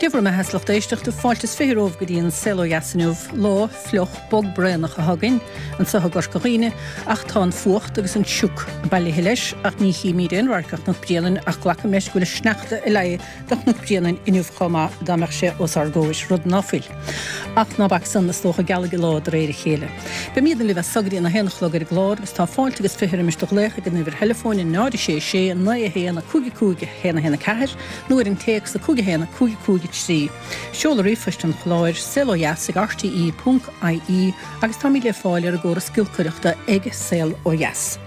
Dé bhur mbeatha, a lucht éisteachta, fáilte is 20 romhaibh go dtí an Saol Ó Dheas inniu. Lá fliuch bog braonach atá againn anseo i gCorca Dhuibhne ach tá an fuacht agus an sioc bailithe leis ach ní chímíd aon radharc ar Chnoc Bréanainn ach glacaim leis go bhfuil an sneachta ag leá do Chnoc Bréanainn inniu chomh maith dá mbeadh sé os ár gcomhair, rud ná fuil. Ach ná bac san, is dócha, gealfaidh an lá de réir a chéile. Beimídne libh as so go dtí an 1 a chlog ar an gclár agus tá fáilte agus 20 roimis do ghlaoch ag an uimhir theileafóin 0 6 6 9 1 5 5 1 1 4 nó ar an téacs 5 1 5 5 3. Seoladh ríomhphoist an chláir, saolodheas ag rte ponc ie agus táimid le fáil ar an gcóras giolcaireachta ag Saol Ó Dheas.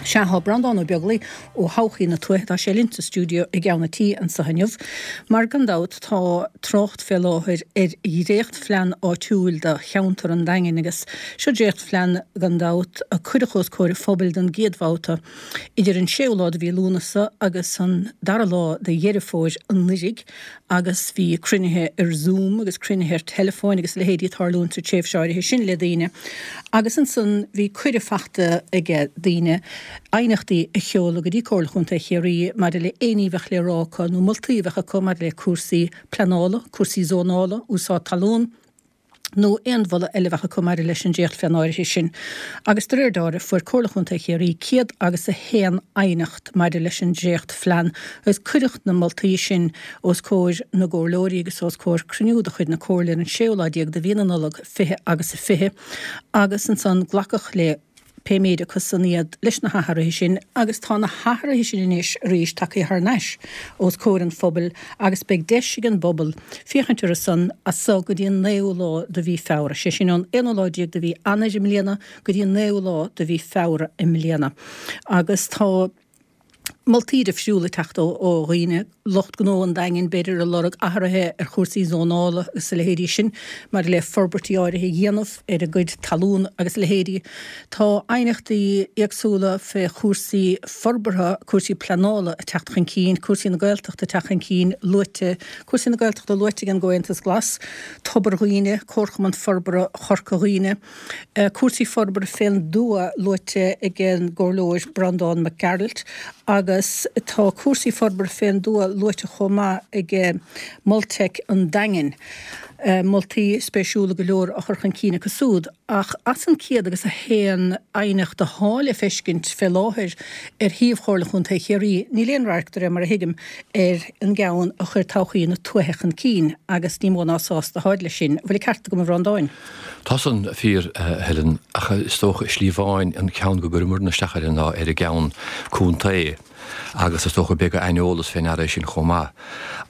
Sea, tá Breandán Ó Beaglaoi ó Thodhchaí na Tuaithe, tá sé linn sa stiúideo i gceann an tí anseo inniu, mar gan dabht tá trácht fé láthair ar dhréachtphlean áitiúil do cheantar an Daingin agus seo dréachtphlean gan dabht a cuireadh os comhair an phobail don gcéad bhabhta idir an séú lá de mhí Lúnasa agus an dara lá de Dheireadh Fómhair anuiridh agus bhí cruinnithe ar Zoom agus cruinnithe ar teileafóin agus a leithéidí ag tarlúint sa tréimhse áirithe sin le daoine agus ansan bhí cuireadh fachta aige daoine aighneachtaí a sheoladh go dtí Comhairle Chontae Chiarraí maidir le aon ní a bheadh le rá acu nó moltaí a bheadh acu maidir le cúrsaí pleanála, cúrsaí zónála, úsáid talún. nó aon mholadh eile a bheadh acu maidir leis an dréachtphlean áirithe sin, agus de réir dealraimh fuair Comhairle Chontae Chiarraí 101 aighneacht maidir leis an dréachtphlean agus cuireadh na moltaí sin os comhair na gcomhairleoirí agus os comhair cruinniú de chuid na Comhairle ar an séú lá déag de mhí na Nollag 20 agus 20 agus ansan glacadh le pé méid acu san iad leis na hathruithe sin agus tá na hathruithe sin anois arís tagtha thar n-ais os comhair an phobail agus beidh deis ag an bpobal féachaint orthu san as so go dtí an naoú lá de mhí Feabhra, sé sin ón aonú lá déag de mhí Eanáir i mbliana go dtí an naoú lá de mhí Feabhra i mbliana agus tá. moltaí difriúla ag teacht ó dhaoine, lucht gnó an Daingin b'fhéidir ag lorg athruithe ar chúrsaí zónála agus a leithéidí sin maidir le forbairtí áirithe a dhéanamh ar a gcuid talún agus a leithéidí. Tá aighneachtaí éagsúla fé chúrsaí forbartha, cúrsaí pleanála ag teacht chun cinn, cúrsaí na Gaeltachta ag teacht chun cinn, luaite, cúrsaí na Gaeltachta luaite ag an gComhaontas Glas, Tobar Dhuibhne, Comharchumann Forbartha Chorca Dhuibhne. Cúrsaí forbartha fén dtuath luaite ag an gComhairleoir Breandán Mac Gearailt agus tá cúrsaí forbartha fén dtuath luaite chomh maith ag Molteic an Daingin. Moltaí spéisiúla go leor á chur chun cinn acu súd ach as an 101 aighneacht athá le feiscint fé láthair ar shuíomh Chomhairle Chontae Chiarraí níl aon radharc de réir mar a thuigim ar an gceann a chuir Todhchaí na Tuaithe chun cinn agus ní mó ná sásta atáid leis sin. Bhfuil an ceart agam a Bhreandáin? Tá san fíor, a Helen, ach is dócha i slí amháin an ceann go gcuireamarna isteach air ná ar an gceann contae agus is dócha beag aineolas fé ndeara é sin chomh maith.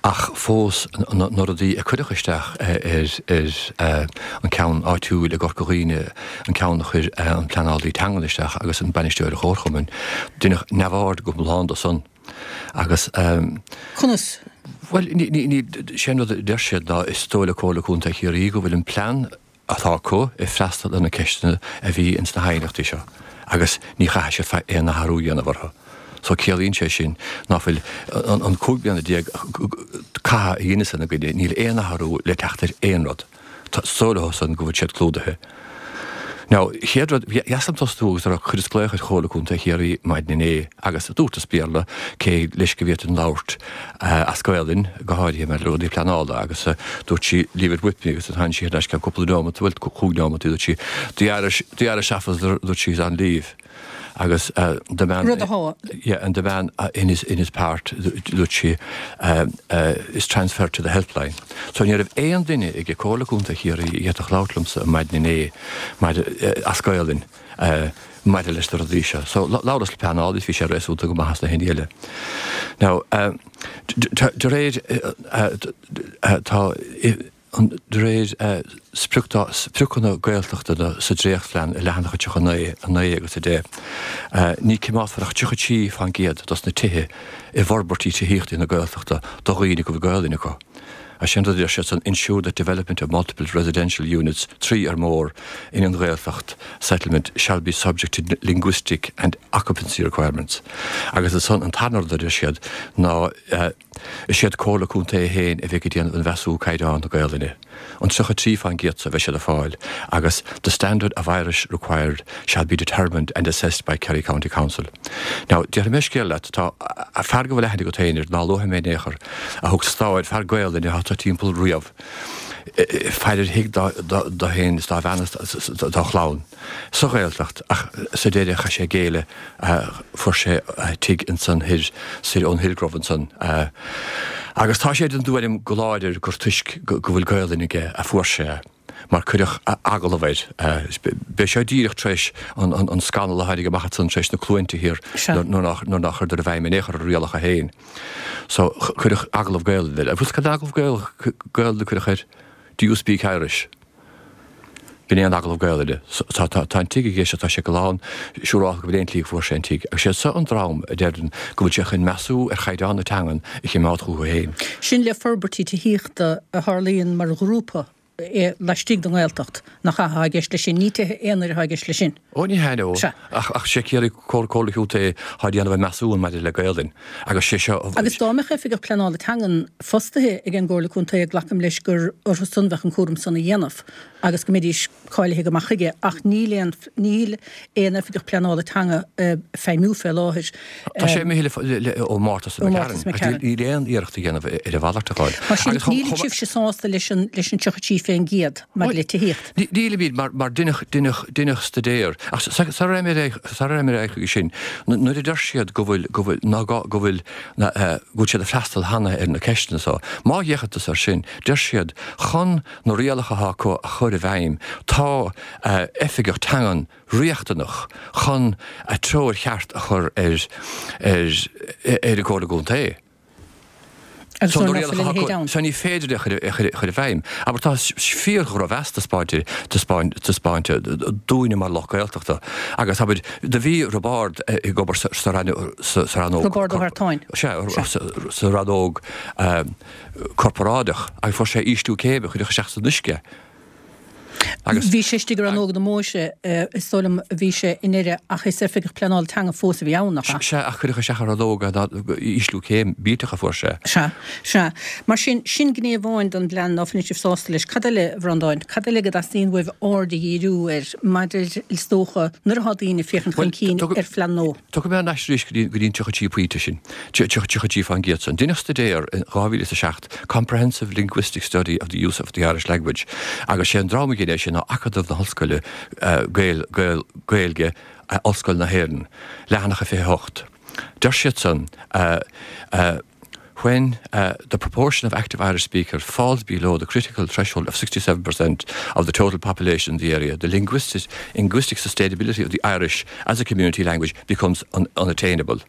Ach fós na rudaí a cuireadh isteach ar an ceann áitiúil i gCorca Dhuibhne, an ceann a chuir an pleanálaí teangan isteach agus an bainisteoir an chomharchumainn, deineadh neamhaird go hiomlán de san. Agus. Conas? Bhuel, ní, ní, ní, sé an rud a deir siad ná is dóigh le Comhairle Contae Chiarraí go bhfuil an plean atá acu ag freastal ar na ceisteanna a bhí ins na haighneachtaí seo agus ní chaithfidh siad aon athrú a dhéanamh orthu. So ciallaíonn sé sin ná fuil an, an 15 bliana catha a dheineas ina gcoinne, níl aon athrú le teacht ar aon rud. Is dóigh leo san go bhfuil siad clúdaithe. Now, chéad rud, dheas liom tosnú agus a rá, chuireas glaoch ar Chomhairle Contae Chiarraí maidin inné agus dúrtas Béarla cé leis go bhféadfainn labhairt as Gaolainn, go háirithe maidir le rudaí pleanála agus dúirt sí leave it with me agus tháinig sí thar n-ais ceann cúpla neomat, bhuel chúig neomat, dúirt sí the Irish, the Irish officer, dúirt sí is on leave. Agus the man, Rud atá. yeah, and the man in his, in his part, dúirt sí, is transferred to the helpline. So ní raibh aon duine ag Comhairle Contae Chiarraí a d'fhéadfadh labhairt liomsa maidin inné maidir, as Gaolainn, maidir leis na rudaí seo. So labhras le pleanálaí is bhí sé réasúnta go maith as na héinne eile. Now, de réir, tá, De réir spriocanna Gaeltachta sa dréachtphlean i leathanach 39, 9 agus 10, ní cimeádfar ach 33 fán gcéad dos na tithe i bhforbairtí tithíochta na Gaeltachta do dhaoine go bhfuil Gaolainn acu. As sin rud a deir siad san ensure that development of multiple residential units, 3 or more, in an Ghaeltacht settlement shall be subject to linguistic and occupancy requirements. Agus ansan an tarna rud a deir siad ná, Is iad Comhairle Contae féin a bheidh ag déanamh an mheasúnú caighdeán na Gaolainne. An 33 fán gcéad so a bheidh siad ag fáil agus the standard of Irish required shall be determined and assessed by Kerry County Council. Now, déarfaidh mé scéal leat, tá fear go bhfuil aithne agat féin air, ná luafaidh mé in aon chor, a thug stáid, fear Gaolainne atá. anso timpeall riamh. Faire ar thigh dó féin is dá bhean is dá chlann sa Ghaeltacht ach sa deireadh chaith sé géilleadh, fuair sé tigh ansan thoir, soir ón Hillgrove ansan. Agus tá sé den dtuairim go láidir gur toisc go bhfuil Gaolainn aige a fuair sé é. Mar cuireadh agallamh air. B'é seo díreach tar éis an scannal a tháinig amach ansan tar éis na Cluainte thiar nuair nár chuireadar i bhfeidhm in aon chor a rialacha féin. So cuireadh agallamh Gaelainne air. Agus cad agallamh Gaelainne a cuireadh air? Do you speak Irish? B'in é an agallamh Gaelainne. Tá tá an tigh aige seo, tá sé go lán siúrálta go bhfuil aon tslí go bhfuair sé an tigh. Agus sé seo an dream a deireann go bhfuil sé chun measú ar chaighdeán na teangan a chimeád chucu féin. Sin le forbairtí tithíochta a tharlaíonn mar ghrúpa laistigh den nGaeltacht, nach ea, atá i gceist leis sin. Ní tithe aonair atá i gceist leis sin. Ó, ní hea, no. Sea. Ach sé Ciarraí, Comhairle Chontae atá ag déanamh an measúin maidir le Gaelainn. Agus sé seo. Agus dá mbeadh Oifigeach Pleanála Teangan fostaithe ag an gComhairle Contae, glacaim leis gur orthu san bheadh an cúram san a dhéanamh agus go mbeidís cáilithe go maith chuige, ach níl aon, níl aon Oifigeach Pleanála Teanga ag feidhmiú fé láthair. Tá sé imithe le, ó Mártas Ó Mártas McCarron. Níl aon iarracht a dhéanamh ar a mhalairt a fháil. Mar sin, níl sibhse sásta leis an, leis an 33% maidir le tithíocht? Nílimid, mar, mar deineadh, deineadh, deineadh staidéar. Ach sara raibh mé ar aghaidh, sara raibh mé ar aghaidh chuige sin, nuair a deir siad go bhfuil, go bhfuil, ná gá, go bhfuil, go bhfuil siad ag freastal cheana ar na ceisteanna so, má fhéachann tusa air sin, deir siad, chun na rialacha atá acu a chur i bhfeidhm, tá oifigeach teangan riachtanach chun treoir cheart a chur ar ar ar an gComhairle gContae. Agus So na rialacha atá acu, so ní féidir é a chur a chur i bhfeidhm. Abair tá fíor-dhrochmheas taispeáinte taispeáinte dúinne mar lucht Gaeltachta agus abair do bhí Roibeárd ag obair sa sa rannóg Roibeárd Ó hEartáin. Sea, sa rannóg corparáideach agus fuair sé ísliú céime, cuireadh isteach san uisce agus. Bhí sé istigh i rannóg na mbóithre, is dóigh liom, bhí sé i nDoire ach is oifigeach pleanála teanga fós a bhí ann, nach ea? Sea, ach cuireadh isteach i rannóg ísliú céim millteach a fuair sé. Sea, sea. Mar sin, sin gné amháin den bplean ná fuileann sibh sásta leis. Cad eile, a Bhreandáin, cad eile go dteastaíonn uaibh aird a dhíriú air maidir, is dócha, nuair atá daoine ag féachaint chun cinn ar phlean nua? Tiocfaidh mé thar n-ais arís go dtí an 33 pointe sin, 33% san. Deineadh staidéar in 2007, Comprehensive Linguistic Study of the Use of the Irish Language, agus sé an dream a dhein é sin ná Acadamh na hOllscoile Gaeilge, Ollscoil na hÉireann, leathanach a 28. Deir siad san, When the proportion of active Irish speakers falls below the critical threshold of 67% of the total population in the area, the linguistic, linguistic sustainability of the Irish as a community language becomes un unattainable.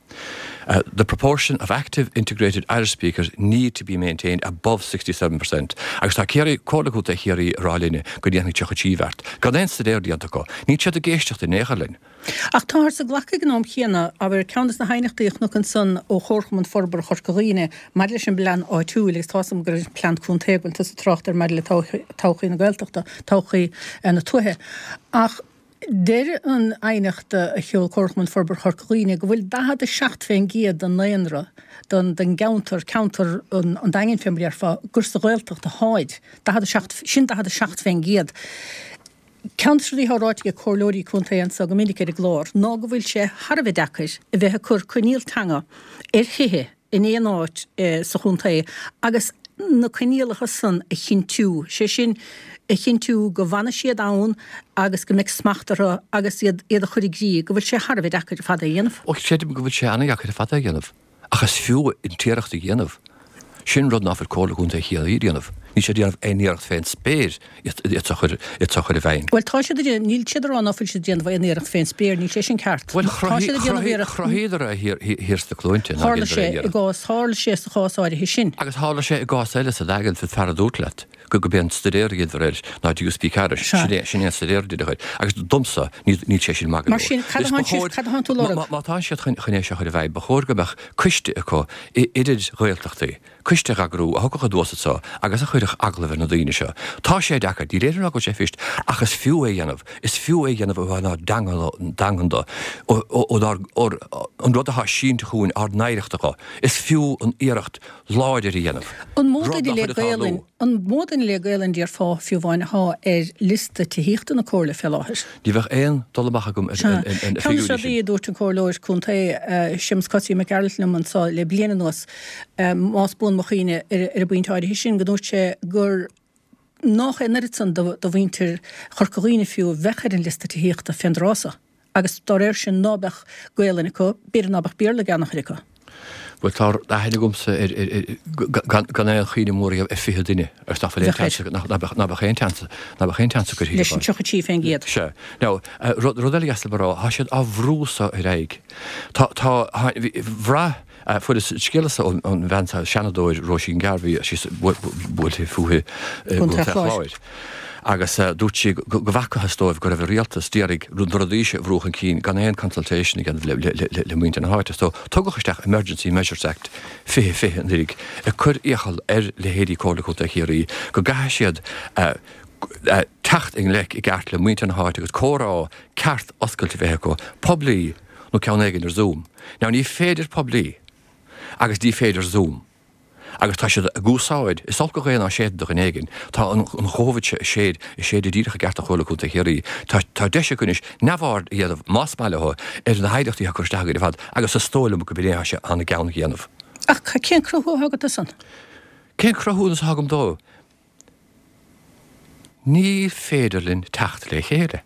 Uh, the proportion of active integrated Irish speakers need to be maintained above 67%. Agus tá Ciarraí, Comhairle Contae Chiarraí ag rá linne go ndéanfaidh 33 bheart. Gan aon staidéar déanta acu. Níl siad ag éisteacht in aon chor linn. Ach táthar ag glacadh ag an am chéanna, abair, ceann de na haighneachtaí a chonac ansan ó Chomharchumann Forbartha Chorca Dhuibhne maidir leis an bplean áitiúil, agus tá's agam gur an plean contae go bhfuil tusa ag trácht air maidir le todhchaí na Gaeltachta, todhchaí na tuaithe. Ach deir an aighneacht a sheol Comharchumann Forbartha Chorca Dhuibhne go bhfuil 47% den ndaonra den den gceantar, ceantar an Daingin fé mar a déarfá, gur sa Ghaeltacht atáid. 47, sin 47%. Ceann de na rudaí atá ráite ag comhairleoirí contae anseo go minic ar an gclár ná go bhfuil sé thar a bheith deacair a bheith ag cur coinníoll teanga ar thithe in aon áit sa chontae agus na coinníollacha san a chinntiú, sé sin, a chinntiú go bhfanfaidh siad ann agus go mbeidh smacht orthu agus iad iad a chur i gcrích, go bhfuil sé thar a bheith deacair ar fad é a dhéanamh. Ó, creidim go bhfuil sé an-deacair ar fad é a dhéanamh. Ach is fiú an t-iarracht a dhéanamh. Sin rud ná fuil Comhairle Contae Chiarraí a dhéanamh. Níl siad ag déanamh aon iarracht fén spéir iad a chur i bhfeidhm. Bhuel, tá siad ag déanamh, níl siad ag rá ná fuil siad ag déanamh aon iarracht fén spéir, níl sé sin ceart. Bhuel, Tá siad ag déanamh iarracht. chruthaíodar é thiar sna Cluainte nár Tharla dheineadar sé aon i iarracht. gcás, tharla sé sa chás áirithe sin. Agus tharla sé i gcás eile sa Daingean, sa fear a dúirt leat. go gurb é an staidéar a dheineadar air ná Do you speak Irish? Sin é sin é an staidéar a deineadh air. Agus domsa, níl níl sé sin maith go Mar leor. sin, cad Is ba atánn sibh, chóir, cad atánn tú má, lorg? má, má tá siad chun, chun é seo a chur i bhfeidhm, ba chóir go mbeadh coiste acu i, idir Ghaeltachtaí, coiste a dh'eagrú, a thiocfadh anuas anso agus a chuirfeadh agallamh ar na daoine seo. Tá sé deacair, níl aon rá go bhfuil sé fuirist, ach is fiú é a dhéanamh, is fiú é a dhéanamh ó thaobh ár dteanga, dteangan de, ó, ó, ó, ó, an rud atá sínte chugainn, ár n-oidhreacht acu. Is fiú an iarracht láidir a dhéanamh. An mó Rud duine nach le bhfuil ag tarlú. Gaelainn? An mó duine le Gaelainn déarfá fiú amháin athá ar liosta tithíochta na Comhairle fé láthair? Ní bheadh aon dul amach agam ar Sea. na Ceann de na figiúirí rudaí sin. a dúirt an Comhairleoir Contae, Séamus Cosaí Mac Gearailt liom anso le bliain anuas, más buan mo chuimhne ar an bpointe áirithe sin, go ndúirt sé gur nách é an oiread san de mhuintir Chorca Dhuibhne fiú a bheadh ar an liosta tithíochta fén dtráth so. Agus dá réir sin ná beadh Gaelainn acu, b'fhéidir ná beadh Béarla ag an-chuid acu. Bhuel, tá aithne agamsa ar, ar, gan aon chuimhne mhór a dhéanamh, ar 20 duine agus nach bhfuil aon tseans, nach mbeadh, nach mbeadh aon tseans, nach mbeadh aon tseans acu Leis an 33%. Sea. Now, rud, rud eile dheas liom a rá, tá siad á bhrú so ar aghaidh. Tá, tá, bhí, bhraith, Fuaireas scéala so ón bhean seo, Seanadóir Róisín Garvey, sí buailte fúithi i gContae an Chláir, agus dúirt sí go bhfacthas dóibh go raibh an rialtas d'iarraidh na rudaí seo a bhrú chun cinn gan aon consultation a dhéanamh le muintir na háite. So tugadh isteach Emergency Measures Act 2020 anuraidh ag cur iachall ar leithéidí Comhairle Contae Chiarraí go gcaithfidh siad teacht i ngleic i gceart le muintir na háite agus comhrá ceart oscailte a bheith acu, poiblí, nó ceann éigin ar Zoom. Now ní féidir poiblí agus ní féidir Zoom. Agus tá siad ag úsáid, is olc an ghaoth ná séideann do dhuine éigin, tá an Chóivid seo ag séid, ag séideadh díreach i gceart do Chomhairle Contae Chiarraí. Tá, tá deis acu anois neamhaird a dhéanamh, más maith leo, ar na haighneachtaí atá curtha isteach againn ar fad agus is dóigh liom go b'in é atá sé ina gceann a dhéanamh. Ach cén cruthú atá agat dó san? Cén cruthúnas atá agam dó? Ní féidir linn teacht le chéile.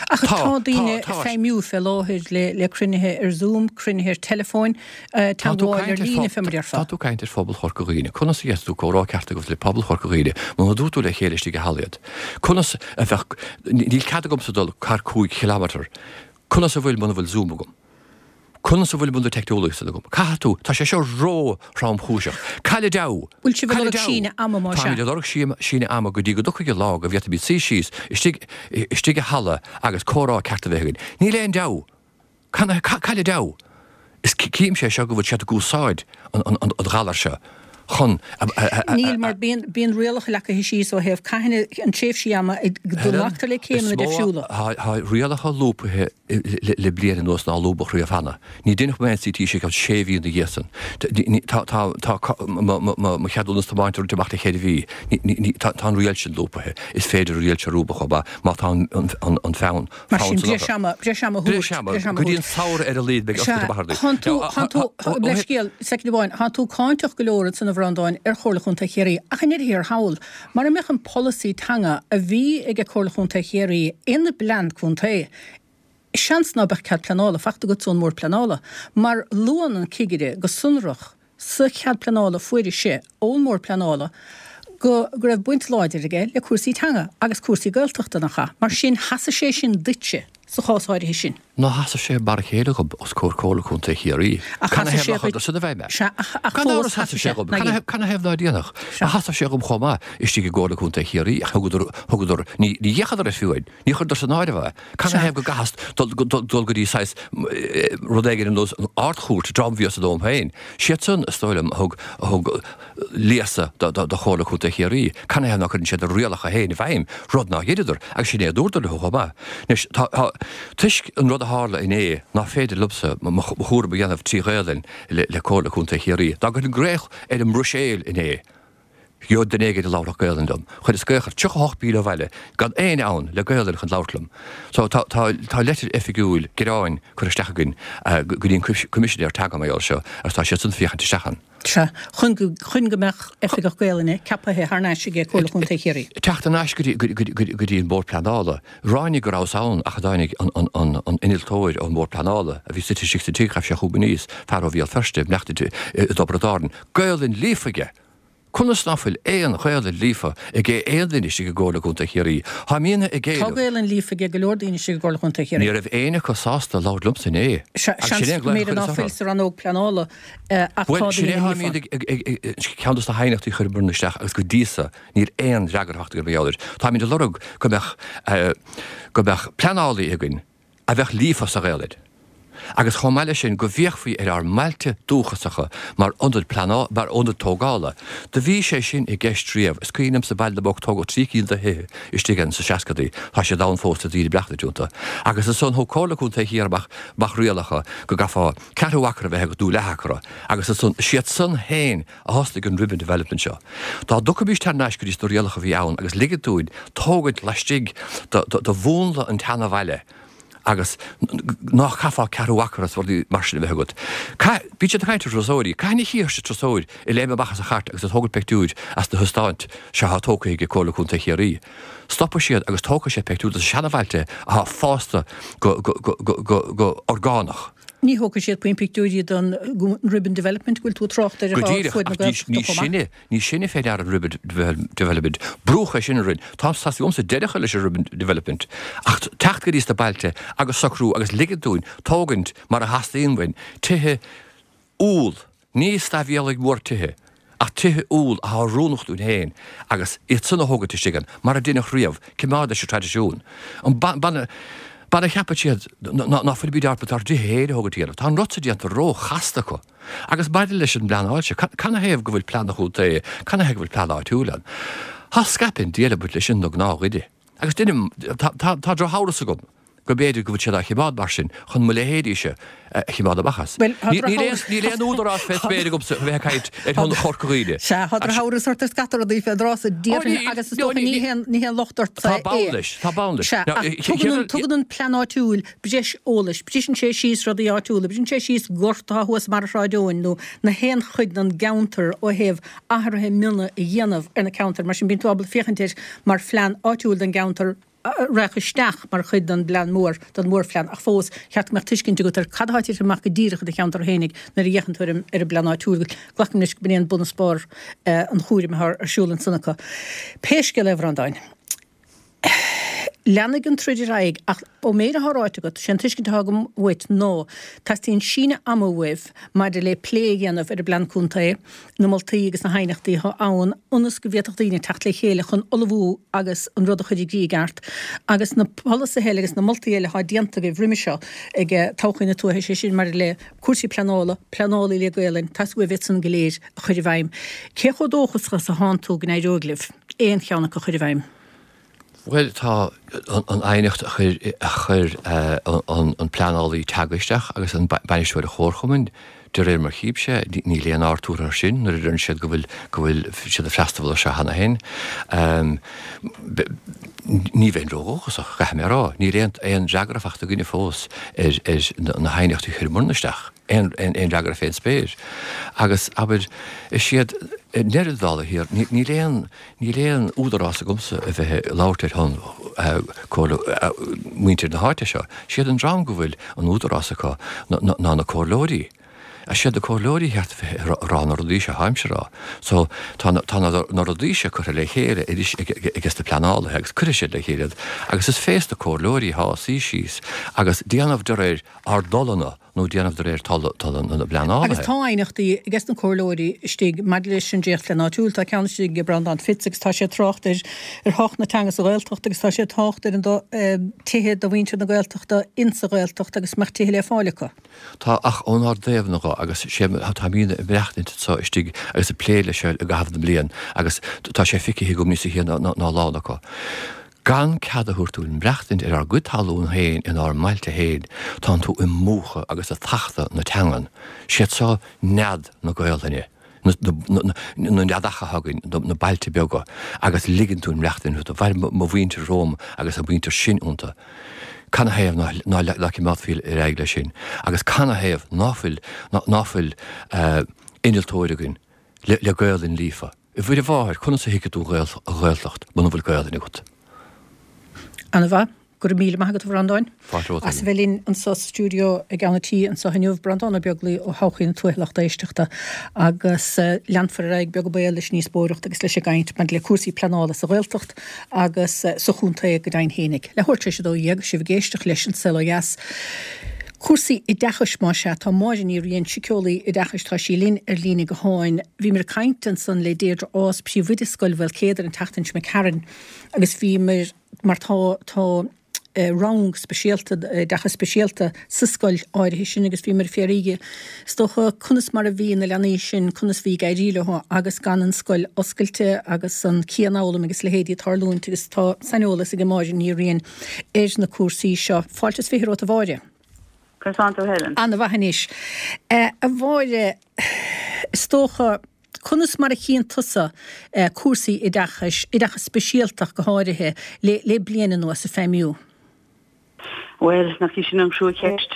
Ach tá daoine ag feidhmiú fé láthair le cruinnithe ar Zoom, cruinnithe ar teileafóin, teagmháil ar líne fé mar a déarfá. Tá tú ag caint ar phobal Chorca Dhuibhne. Conas a d'fhéadfadh tú comhrá ceart a ghabháil le pobal Chorca Dhuibhne muna dtabharfaidh tú le chéile istigh i halla iad? Conas a bheadh, níl cead agamsa dul thar 5 chileámeter. Conas a bhfuil muna bhfuil Zoom agam? Conas a bhfuil muna teicneolaíocht san agam? Caithfidh tú, tá sé seo ró-thromchúiseach. Cailleadh deabhadh! Bhfuil sibh ag lorg síneadh ama más ea? Táimid ag lorg síneadh ama go dtí go dtiocfaidh an lá go bhféadfaimid suí síos istigh, istigh i halla agus comhrá ceart a bheith againn. Níl aon deabhadh! Cailleadh deabhadh! Is címse é seo go bhfuil siad ag úsáid an ghalair seo chun a. Níl, mar bíonn rialacha leagtha síos ó thaobh cathain an tréimhsí ama go nglactar le céimeanna difriúla. Tá rialacha lúbtha le bliain anuas nár lúbadh riamh cheana. Ní deineadh mo NCT sé ceann sé mhí ina dhiaidh san. Tá mo cheadúnas tiomáinte roinnte amach le ceithre mhí. Tá an riail sin lúbtha. Is féidir an riail seo a lúbadh chomh maith má tá an fonn Mar sin, breis ama, breis ama a thabhairt. Breis ama, go dtí an samhradh ar a laghad beidh oscailte amach ar Sea, thánn tú, thánn tú, leithscéal, soicind amháin, thánn tú cáinteach go leor ansan a Bhreandáin ar Chomhairle Chontae Chiarraí ach i ndeireadh thiar thall, mara mbeadh an polasaí teanga a bhí ag Comhairle Chontae Chiarraí ina bplean contae, seans ná beadh cead pleanála fachta agatsa ón mBord Pleanála, mar luann an cigire go sonrach sa chead pleanála a fuair sé ón mBord Pleanála go go raibh baint láidir aige le cúrsaí teanga agus cúrsaí Gaeltachta, nach ea? Mar sin, sheasaigh sé sin duitse sa chás áirithe sin. Ná sheasaigh sé mar a chéile dhom os comhair Comhairle Contae Chiarraí. Ach Can sheasaigh sé thaobh dhuit. nár chuir san i bhfeidhm é? Sea, ach ach Gan fós amhras sheasaigh sheasaigh sé sé. dhom. Ná Can dhein. thaobh can thaobh ná déanfadh? Sea. Ba sheasaigh sé dhom chomh maith istigh i gComhairle Contae Chiarraí ach thugadar, thugadar, ní, ní fhéachadar air fiú amháin. Ní chuireadar san áireamh é. Can Sea. thaobh go gcaithfeas dul, dul, dul go dtí saghas rud éigin ar nós an Ard-Chúirt, dream a bhíos dom féin. Siad san, is dóigh liom, a thug, a thug léasadh do Chomhairle Contae Chiarraí. Canathaobh ná cuireann siad a rialacha féin i bhfeidhm, rud ná dheineadar, agus sin é a dúradar leo chomh maith. Anois, tá, tá, toisc an rud a tharla inné, ná féidir liomsa mo chúram a dhéanamh trí Ghaelainn le, le Comhairle Contae Chiarraí. Dá gcuirfinn glaoch ar an mBruiséil inné, gheobhadh duine éigin a labharfadh Gaelainn liom. Chuireas glaoch ar 38 míle ó bhaile, gan éinne ann le Gaelainn chun labhairt liom. So, tá, tá, tá leitir oifigiúil gearáin curtha isteach againn go dtí an Coimisinéir Teanga mar gheall air seo, agus tá siad san féachaint isteach ann. Sea, chun go, chun go mbeadh Oifigeach Gaelainne ceapaithe thar n-ais aige Comhairle Chontae Chiarraí. Teacht thar n-ais go dtí, go dtí, go dtí an Bord Pleanála. Ráinig go rabhas ann ach a dtáinig an, an, an, an innealtóir ón mBord Pleanála a bhí suite istigh sa tigh, ghabh sé chugam aníos, fear ó Bhéal Feirste, i i dTiobraid Árann. Gaelainn líofa aige! Conas ná fuil aon Ghaelainn líofa ag aon duine istigh i gComhairle Contae Chiarraí? Táimídne ag Tá éileamh. Gaelainn líofa ag go leor daoine istigh i gComhairle Chontae Chiarraí. Ní raibh éinne acu sásta labhairt liomsa inné. Sea, Agus sin seans é an go glaoch a mb'fhéidir ná chuireas fuil orthu. sa rannóg pleanála ach tá Bhuel, sin é daoine atá líofa. míad ag, ag, ag, ceann dos na haighneachtaí a chuireamar isteach agus go dtí so níl aon fhreagra fachta againn mar gheall air. Táimid ag lorg go mbeadh, go mbeadh pleanálaí againn a bheadh líofa sa Ghaelainn. Agus chomh maith leis sin, go bhféachfaí ar ár mbailte dúchasacha mar ionad pleanála, mar ionad tógála. Do bhí sé sin i gceist riamh. Is cuimhin liomsa Baile na bPoc, tógadh 3 cinn de thithe istigh ann sa seascadaí. Tá siad ann fós, tá daoine ag maireachtaint iontu. Agus ansan thug Comhairle Contae Chiarraí amach amach rialacha go gcaithfeá ceathrú acra a bheith agat nó leath acra. Agus ansan, is iad san féin a thosnaigh an ribbon development seo. Dá dtiocfaimís thar n-ais go dtí sna rialacha a bhí ann agus ligint dúinn tógaint laistigh de mhúnla an tseana-bhaile agus ná caithfeá ceathrú acra is rudaí mar sin a bheith agat. Caith, bíonn siad ag caint ar turasóirí, cathain a chífir turasóir ag léim amach as a chairt agus ag tógaint peictiúir as na hóstáin seo atá tógtha ag Comhairle Contae Chiarraí. Stopfaidh siad agus tógfaidh siad peictiúr de na seana-bhailte atá fásta go, go, go, go, go orgánach. Ní thógfaidh siad puinn pictiúirí den Ribbon Development go bhfuil tú ag trácht air Go díreach, ach ní sinne, ní sinne fé ndeara an Ribbon Development. Brúdh é sin orainn. Tá tá's agamsa deireadh a chur leis an Ribbon Development. Ach teacht go dtí sna bailte agus socrú agus ligint dúinn tógaint mar a theastaíonn uainn, tithe úll. Ní staibhéalaigh mhór tithe, ach tithe úll atá oiriúnach dúinn féin agus iad san a thógaint istigh ann, mar a deineadh riamh, coimeád leis an traidisiún. An b'in a cheapann siad ná fuilimid ábalta ár dtithe féin a thógaint a dhéanamh. Tá an rud seo déanta ró-chasta acu. Agus maidir leis an bpleanáil seo, canathaobh go bhfuil plean an chontae, canathaobh go bhfuil plean áitiúil ann? Tá scaipthe an diabhal ag baint leis sin do ghnáthdhuine. Agus deinim, tá drochamhras agam go mb'fhéidir go bhfuil siad á choimeád mar sin chun mo leithéidíse a choimeád amach as. Bhuel, tá drochamhras. Níl aon údarás fé spéir agamsa a bheith ag caint ar shon Chorca Dhuibhne. Sea, tá drochamhras ort ar scata rudaí fén dtráth so, déarfainn, agus is dócha ní haon, ní haon locht ortsa é. Tá bonn leis, tá bonn leis. Sea, ach tugann an, tugann an plean áitiúil breis eolais, briseann sé síos rudaí áitiúla, briseann sé síos gort atá thuas i mbarra Shráid Eoin nó na haon chuid den gceantar ó thaobh athruithe miona a dhéanamh ar na ceantair, mar sin bíonn tú ábalta féachaint air mar phlean áitiúil don gceantar a raghadh isteach mar chuid den bplean mór, den mhórphlean, ach fós, cheart go mbeadh tuiscint agat ar cad atá ag titim amach go díreach i do cheantar fhéinig nuair a fhéachann tú ar an ar an bplean áitiúil. Glacaim leis go b'in é an bun is barr an chúraim atá ar siúl ansan acu. Pé scéal é, a Bhreandáin. Leanfaidh an troid ar aghaidh ach ón méid atá ráite agat, sé an tuiscint atá agam uait ná teastaíonn síneadh ama uaibh maidir le plé a dhéanamh ar an bPlean Contae, na moltaí agus na haighneachtaí atá ann ionas go bhféadfadh daoine teacht le chéile chun ullmhú agus an rud a chur i gcrích i gceart agus na polasaithe eile agus na moltaí eile atá déanta agaibh roimhe seo ag Todhchaí na Tuaithe, sé sin maidir le cúrsaí pleanála, pleanálaí le Gaolainn, teastaíonn uaibh iad san go léir a chur i bhfeidhm. Cé chomh dóchasach is atánn tú go n-éireoidh libh aon cheann acu a chur i bhfeidhm? Bhuel, tá an aighneacht a chuir a chuir an pleanálaí teanga isteach agus an bainisteoir an chomharchumainn, de réir mar chímse, níl aon aird tabhartha air sin nuair a deireann siad go bhfuil go bhfuil siad ag freastal air seo cheana féin. Ní bheinn ródhóchasach, caithfidh mé a rá. Níl aon aon fhreagra fachta againne fós ar ar na haighneachtaí a chuireamarna isteach. Aon aon fhreagra fén spéir. Agus, abair, is iad i ndeireadh na dála thiar, níl aon Níl aon údarás agamsa a bheith ag labhairt ar shon comhairle muintir na háite seo. Siad an dream go bhfuil an údarás acu ná na comhairleoirí. Siad na comhairleoirí a cheart a bheith ag rá na rudaí seo, táimse a rá. So tá tá na rudaí seo curtha le chéile arís ages na pleanálaithe agus cuirfidh siad le chéile iad agus is fés na comhairleoirí atá suí síos agus déanamh de réir ár dtoileanna nó déanamh de réir tola na bpleanálaithe. Agus tá aighneachtaí ages na comhairleoirí istigh maidir leis an dréachtphlean áitiúil. Tá ceann istigh ag Breandán Fitz agus tá sé ag trácht ar ar thábhacht na teanga sa Ghaeltacht agus tá sé ag trácht ar an tithe do mhuintir na Gaeltachta insa Ghaeltacht agus go mbeadh tithe le fáil acu. Tá, ach ónár dtaobh-na dho agus sé táimídne ag maireachtaint anso istigh agus ag plé leis seo i gcaitheamh na mblian agus tá sé feicthe agam níosa shia ná a lán acu. Gan cead a thabhairt dúinn maireachtaint ar ár gcuid talún féin inár mbailte féin, tánn tú ag múchadh agus ag tachtadh na teangan. Siad seo nead na Gaolainne, na neadacha atá againn, na bailte beaga, agus ligeann dúinn maireachtaint iontu. Mhair mo mhuintir romham agus a muintir sin iontu. Canathaobh ná cimeádfaí ar aghaidh leis sin? Agus canathaobh ná fuil, ná fuil innealtóir againn le Gaolainn líofa? A Mhuire Mháthair, conas a thuigfidh tú an Ghaeltacht muna bhfuil Gaelainn agat? Ana mhaith. Go raibh míle maith agat a Bhreandáin. Fáilte romhat. As a bheith linn anso sa stiúideo i gceann an tí anso inniu. Breandán Ó Beaglaoi ó Thodhchaí na Tuaithe lucht éisteachta. Agus leanfar ar aghaidh beag béal leis an ndíospóireacht agus leis an gcaint maidir le cúrsaí pleanála sa Ghaeltacht agus sa chontae go deimhin fhéinig. Leathuair tar éis 12, sibh ag éisteacht leis An Saol Ó Dheas. Cúrsaí oideachais más ea, tá Máire Ní Riain, síceolaí oideachais, tá sí linn ar líne gutháin. Bhíomar ag caint ansan le Deirdre Ághas, príomhoide Scoil Mhaolcéadair an tseachtain seo imigh tharainn agus bhíomar, mar tá, tá. rang speisialta, oideachas speisialta sa scoil áirithe sin agus bhíomar ag fiafraí di, is dócha, conas mar a bhí na leanaí sin, conas bhí ag éirí leo agus gan an scoil oscailte agus an cianfhoghlaim agus leithéidí ag tarlúint agus tá saineolas ag Máire Ní Riain ar na cúrsaí seo. Fáilte is 20 romhat a Mháire. Conas tánn tú Helen? Ana-mhaith anois. A Mháire, is dócha, conas mar a chíonn tusa cúrsaí oideachais, oideachas speisialta ach go háirithe, le le bliain anuas ag feidhmiú? Bhuel, nach í sin an chruacheist.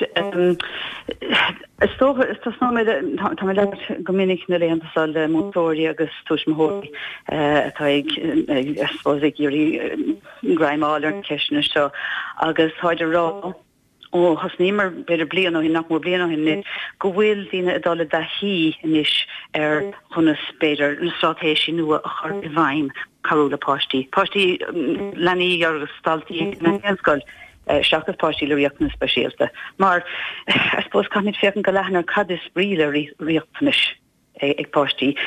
Is dócha, tosnóidh mé le, tá mé ag labhairt go minic na laethanta seo le múinteoirí agus tuismitheoirí atá ag, I suppose, ag iarraidh greim a fháil ar na ceisteanna seo agus táid ag rá, ó thosnaíomar b'fhéidir bliain ó shin, nach mór bliain ó shin anois, go bhfuil daoine ag dul i dtaithí anois ar chonas, b'fhéidir, na straitéisí nua a chur i bhfeidhm, cabhrú le páistí, páistí, leanaí agus daltaí na meánscoil seachas páistí le riachtanais speisialta. Mar, I suppose, caithfimid féachaint go leathan ar cad is brí le riachtanais. ag páistí.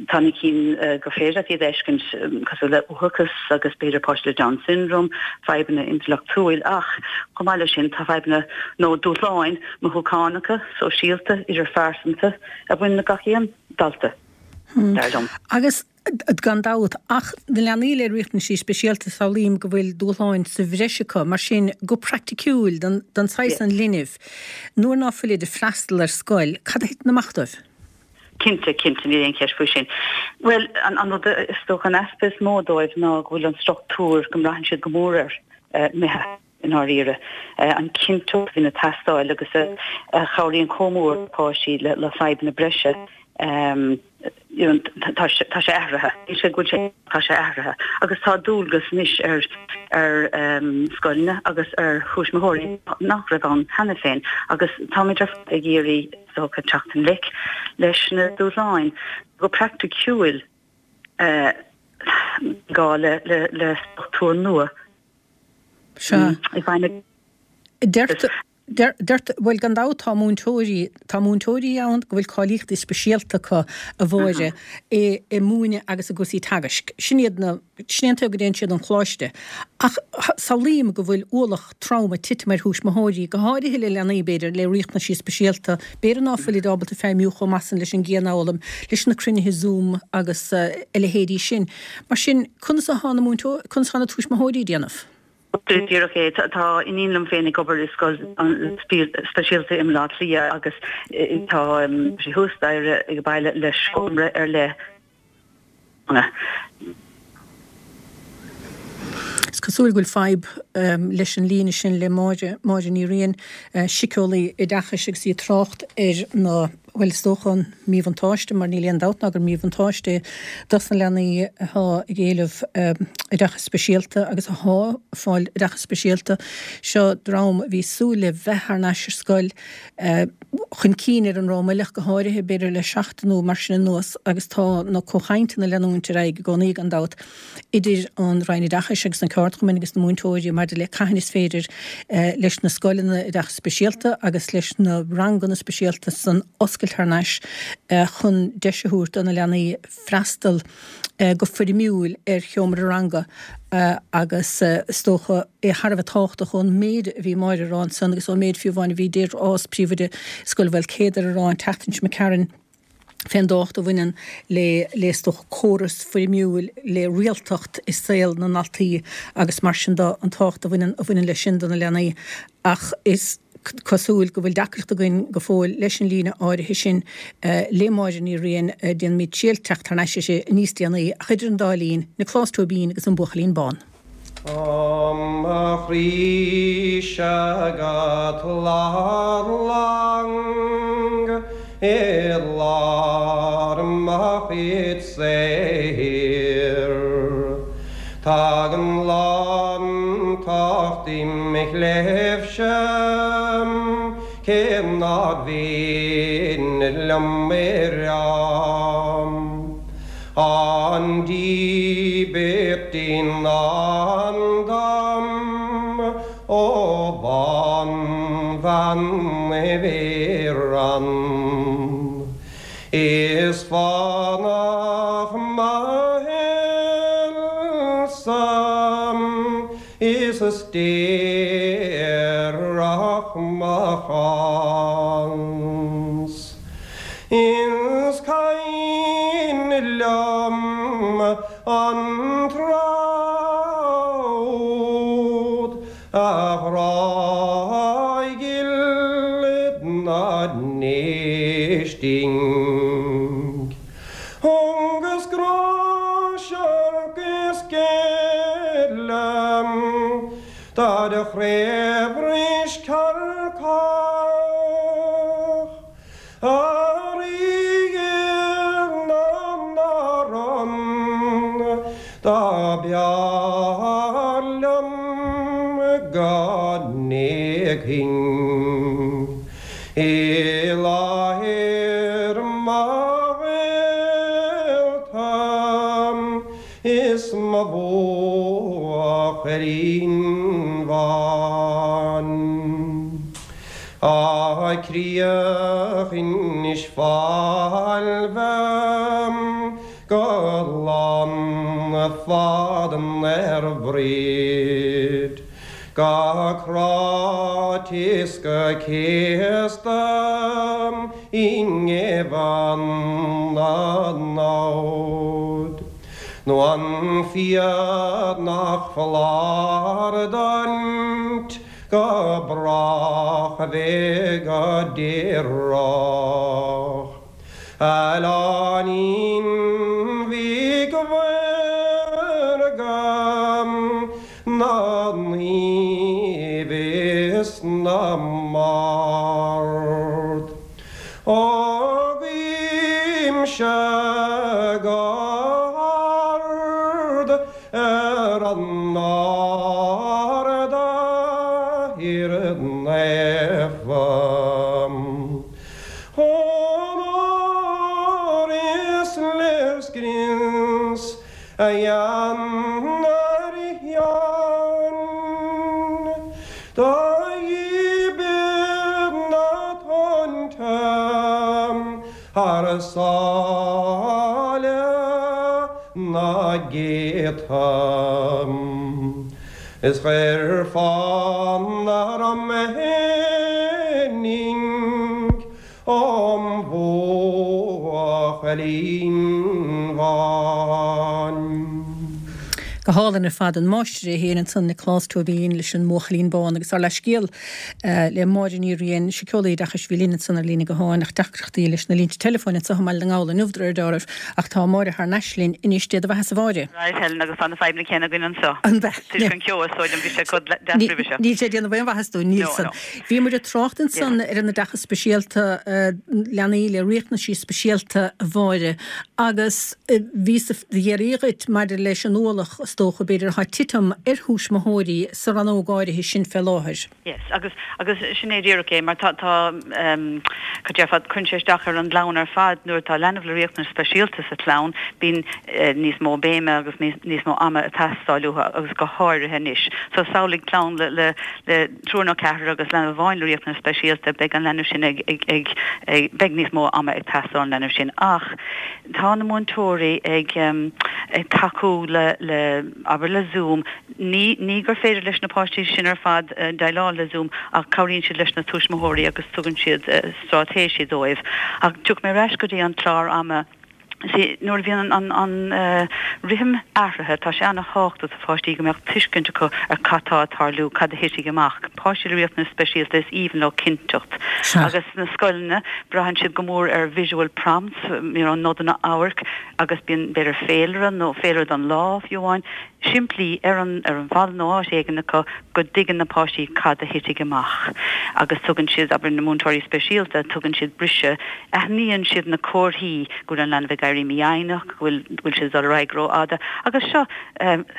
Tá na cinn gur féidir leat iad a fheiscint cosúil le uathachas agus b'fhéidir páistí le Down syndrome, fadhbanna intleachtúil ach chomh maith leis sin tá fadhbanna nó dúshláin mothúchánacha, sóisialta, idirphearsanta a bhaineann le gach aon dalta, dar liom. Agus gan dabht, ach na leanaí le riachtanaisí speisialta samhlaím go bhfuil dúshláin sa bhreis acu, mar sin go praiticiúil don don saghas an linbh, nuair ná fuilid ag freastal ar scoil, cad a thiteann amach dóibh? Cinnte, cinnte, níl aon cheist faoi sin. Bhuel, an an rud is dócha an easpa is mó dóibh ná go bhfuil an struchtúr, go mbraitheann siad go mór air, imithe i ndáiríre. An chinnteacht a bhíonn ag teastáil agus a chabhraíonn chomh mór le páistí le fadhbanna breise, tá sé athraithe. Níl sé go bhfuil sé, tá sé athraithe. Agus tá dualgas anois ar ar scoileanna agus ar thuismitheoirí nach raibh ann cheana féin agus táimid ar fad ag iarraidh is dócha teacht i ngleic leis na dúshláin. Go praiticiúil gá le le struchtúr nua Sea. i bhfeidhm. Deirtear. Deirtear, bhuel gan dabht tá múinteoirí, tá múinteoirí ann go bhfuil cáilíochtaí speisialta acu a Mháire i i múineadh agus i gcúrsaí teagaisc. Sin iad na, sin é an tuige go dtéann siad 'on choláiste. Ach samhlaím go bhfuil ualach trom ag titim ar thuismitheoirí, go háirithe le leanaí b'fhéidir le riachtanaisí speisialta, b'fhéidir ná fuilid ábalta feidhmiú chomh maith san leis an gcianfhoghlaim, leis na cruinnithe Zoom agus a leithéidí sin. Mar sin, conas atá na múinteoirí, conas atá na tuismitheoirí ag déanamh? Díreach é. Tá iníon liom féin ag obair i scoil speisialta i mBaile Átha Cliath agus tá sí thuas staighre ag baile le seomra ar leith. Is cosúil go bhfuil fadhb leis an líne sin le Máire, Máire Ní Riain, síceolaí oideachais agus í ag trácht ar na Bhuel, is dócha an míbhuntáiste, mar níl aon dabht ná gur míbhuntáiste é dos na leanaí atá ag éileamh oideachas speisialta agus athá ag fáil oideachas speisialta. Seo dream a bhí ag súil le bheith thar n-ais ar scoil chun cinn ar an Ráth Meilch go háirithe, b'fhéidir le seachtain nó mar sin anuas agus tá na comhchainteanna ag leanúint ar aghaidh i gcónaí gan dabht. idir an Roinn Oideachais agus na ceardchumainn agus na múinteoirí maidir le cathain is féidir leis na scoileanna oideachais speisialta agus leis na ranganna speisialta san oscailt thar n-ais chun deis a thabhairt do na leanaí freastal go foirmiúil ar sheomra ranga agus is dócha é thar a bheith tábhachtach ón méid a bhí Máire a rá ansan agus ón méid fiú amháin a bhí Deirdre Ághas, Príomhoide Scoil Mhaolcéadair a rá an tseachtain seo imigh tharainn. fén dtábhacht a bhaineann le, le is dócha, córas foirmiúil, le rialtacht i saol na ndaltaí agus mar sin de, an tábhacht a bhaineann, a bhaineann leis sin do na leanaí. Ach is cosúil go bhfuil deacracht againn go fóill leis an líne áirithe sin le Máire Ní Riain. Déanfaimid triail teacht thar n-ais uirthi níos déanaí ach idir an dá linn, Nioclás Tóibín agus an Buachaillín Bán. Tá mo chroí-se agat lár lang i lár mo chuid saothair. Tagann lántacht i mo chléibhse cé nár mhian liom é rá. An díbirt i ndán dom ó bhanbhean Mhuireann. Is fánach mo shaolsa is déanach. Chás. Is cuimhin liom an tráth úd a ghrá ghil na n-éisting. Agus grá searc is geile dar chraobhris cearcach A Rí na n-amhrán dá b'fhearr liom go n-éagfainn i láthair mo ghaolta is mo bhuachaillín bhán. A chríoch Inis Failbhe go glanfad ar Bhríd, Go cráite is go céasta i ngeibheann na namhad. Nó an fiadh nach foláir duit go brách a bheith go díreach. A oileáinín bhig mhaorga na naomh is na mbard. Ó guímse go hard ar an Ard, a thír naofa. Onóir is léirscrios a dhéanar Sheáin do dhíbir na tonnta thar sáile. na gcéadta. Is chuir fonn orm thinning om bhuachaillín bhán. Go hálainn ar fad, an máistir é féin ansan, Nioclás Tóibín leis an mBuachaillín Bán agus ár leathscéal le Máire Ní Riain, síceolaí oideachais a bhí linn ansan ar líne gutháin ach deacrachtaí leis na línte teileafóin anseo i mBaile na nGall inniu de réir dealraimh ach tá Máire thar n-ais linn anois. Dé do bheatha-sa a Mháire. Right Helen agus tá na fadhbanna céanna againn anseo. An b'ea? Toisc an ceo is dóigh liom bhí sé chomh deas roimhe seo. Níl sé ag déanamh aon mhaitheas dúinn, níl san. Bhí muid ag trácht ansan ar an oideachas speisialta, leanaí le riachtanaisí speisialta a Mháire agus bhíos ag iarraidh dhuit maidir leis an ualach is dócha b'fhéidir atá ag titim ar thuismitheoirí sa rannóg áirithe sin fé láthair. Yes, agus, agus sin é díreach é, mar tá, tá, ehm, cad déarfá, cuireann sé isteach ar an gclann ar fad nuair atá leanbh le riachtanais speisialta sa chlann, bíonn eh, níos mó béime agus níos, níos mó ama ag teastáil uathu agus go háirithe anois. So samhlaigh clann le, le, le triúr nó ceathrar agus leanbh amháin le riachtanais speisialta, beidh an leanbh sin ag, ag, ag, ag, beidh níos mó ama ag teastáil ón leanbh sin. Ach tá na múinteoirí ag, ehm, ag tacú le, le, abair le Zoom, Ní, ní gur féidir leis na páistí sin ar fad déileáil le Zoom ach cabhraíonn siad leis na tuismitheoirí agus tugann siad straitéisí dóibh. Ach tiocfaidh mé ar ais go dtí an clár ama. See, nuair a bhíonn an, an, an rithim athraithe, tá sé an-thábhachtach do pháistí go mbeadh tuiscint acu ar cad tá ag tarlú, cad a thitfidh amach. Páistí le riachtanais speisialta, is aoibhinn leo cinnteacht. Agus sna scoileanna, braitheann siad go mór ar visual prompts, you know, nodanna amhairc agus bíonn b'fhéidir féilire nó féilire don lá fiú amháin. simplí ar an ar an bhalla nó áit éigin acu go dtuigeann na páistí cad a thitfidh amach agus tugann siad, abair, na múinteoirí speisialta, tugann siad briseadh, aithníonn siad na comharthaí go bhfuil an leanbh ag éirí mífhoighneach, go bhfuil go bhfuil siad ag dul ar aghaidh rófhada agus seo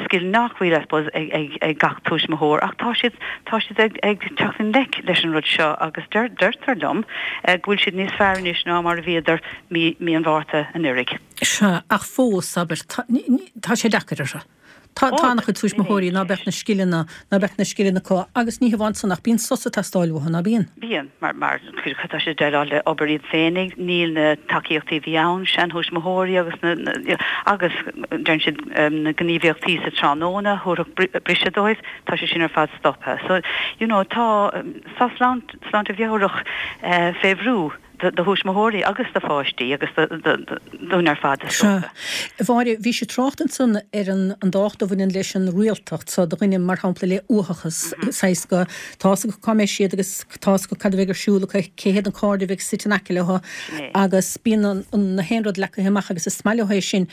scil nach bhfuil, I suppose, ag ag ag gach tuismitheoir ach tá siad tá siad ag ag teacht i ngleic leis an rud seo agus deir deirtear liom go bhfuil siad níos fearr anois ná mar a bhíodar mí mí an Mhárta anuraidh. Sea, ach fós, abair, tá sé deacair orthu. Tá an-chuid tuismitheoirí ná beadh na scileanna, ná beadh na scileanna acu agus ní hamháin san ach bíonn sos ag teastáil uathu, ná bíonn? Bíonn, mar, mar tá siad ag déileáil le obair iad féinig, níl na tacaíochtaí a bhí ann, seanthuismitheoirí agus na, na, agus deireann siad na gníomhaíochtaí sa tráthnóna a thabharfadh briseadh dóibh, tá sé sin ar fad stoptha. So, you know, tá, tá sláinte mheabhrach fé bhrú. do thuismitheoirí agus do pháistí agus dúinn ar fad, is dócha. Sea. A Mháire, bhís ag trácht ansan ar an dtábhacht a bhaineann leis an rialtacht so do dhuine, mar shampla, le uathachas, saghas go, tá fhios acu cá mbeidh siad agus tá fhios acu cad a bheidh ar siúl acu, cé hiad na cairde a bheidh suite in aice leo agus bíonn an, na haon rud leagtha amach agus is maith leo é sin.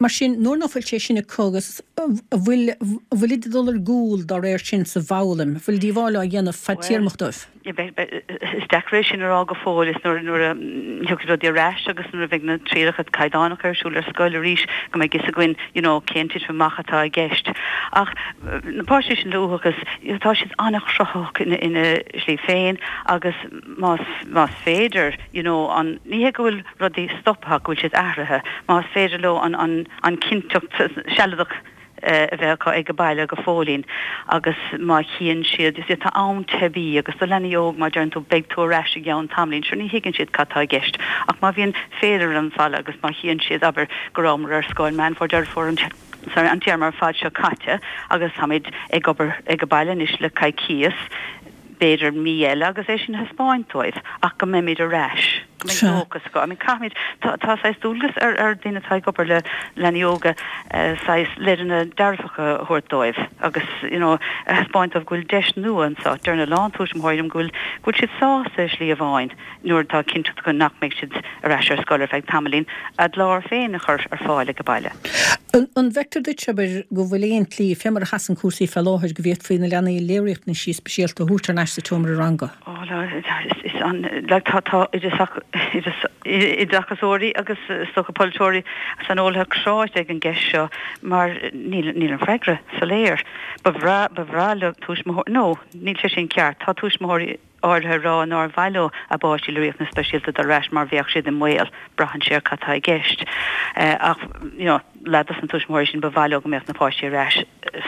Mar sin, nuair ná fuil sé sin acu agus an bhfuil, an bhfuilid ag dul ar gcúl dá réir sin sa bhfoghlaim, an bhfuil díobháil á dhéanamh fadtéarmach dóibh? Is deacair é sin a rá go fóill. Is nuair a thiocfaidh rudaí ar ais agus nuair a bheidh na trialacha caighdeánacha ar siúl ar scoil arís go mbeidh fhios againn you know cén titim amach atá i gceist. Ach na páistí sin le uathachas, tá siad an-chruthaitheach ina slí féin agus más más féidir you know an, ní hé go bhfuil rudaí stoptha ach go bhfuil siad athraithe, más féidir leo an an an chinnteacht sealadach a bheith acu ag baile go fóillín agus má chíonn siad, you see, tá am teibí agus do leanaí óg má deireann tú beidh tú ar ais i gceann tamaillín, sure ní thuigeann siad cad tá i gceist ach má bhíonn féilire ar an bhfalla agus má chíonn siad, abair, go rabhamar ar scoil Meán Fómhair, Deireadh Fómhair, an, sorry, an téarma ar fad seo caite agus táimid ag obair ag baile anois le coicíos, b'fhéidir mí eile agus é sin a thaispeáint dóibh ach go mbeimid ar ais, go mbeidh dóchas acu. I mean caithfimid, tá tá saghas dualgas ar ar daoine atá ag obair le leanaí óga saghas leideanna dearfacha a thabhairt dóibh agus you know a thaispeáint dóibh go bhfuil deis nua anseo. Deireann a lán tuismitheoirí liom go bhfuil go bhfuil siad sásta i slí amháin nuair atá cinnteacht acu nach mbeidh siad ar ais ar scoil ar feadh tamaillín, a gclár féin a chur ar fáil ag baile. An bhfeictear duit, abair, go bhfuil aon tslí, fé mar a sheasann cúrsaí fé láthair, go bhféadfaí na leanaí le riachtanaisí speisialta a thabhairt thar n-ais sa tseomra ranga? Ó, is an, like, tá, tá oideachasóirí agus is dócha polaiteoirí, saineolaithe cráite ag an gceist seo mar níl, níl an freagra soiléir. Ba bhreá, ba bhreá le tuismitheoirí, no, níl sé sin ceart, tá tuismitheoirí, áirithe ag rá nár mhaith leo a bpáistí le riachtanais speisialta dul ar ais mar bheadh siad i mbaol, braitheann sé ar cad tá i gceist. Ach you know leath dos na tuismitheoirí sin ba mhaith leo go mbeadh na páistí ar ais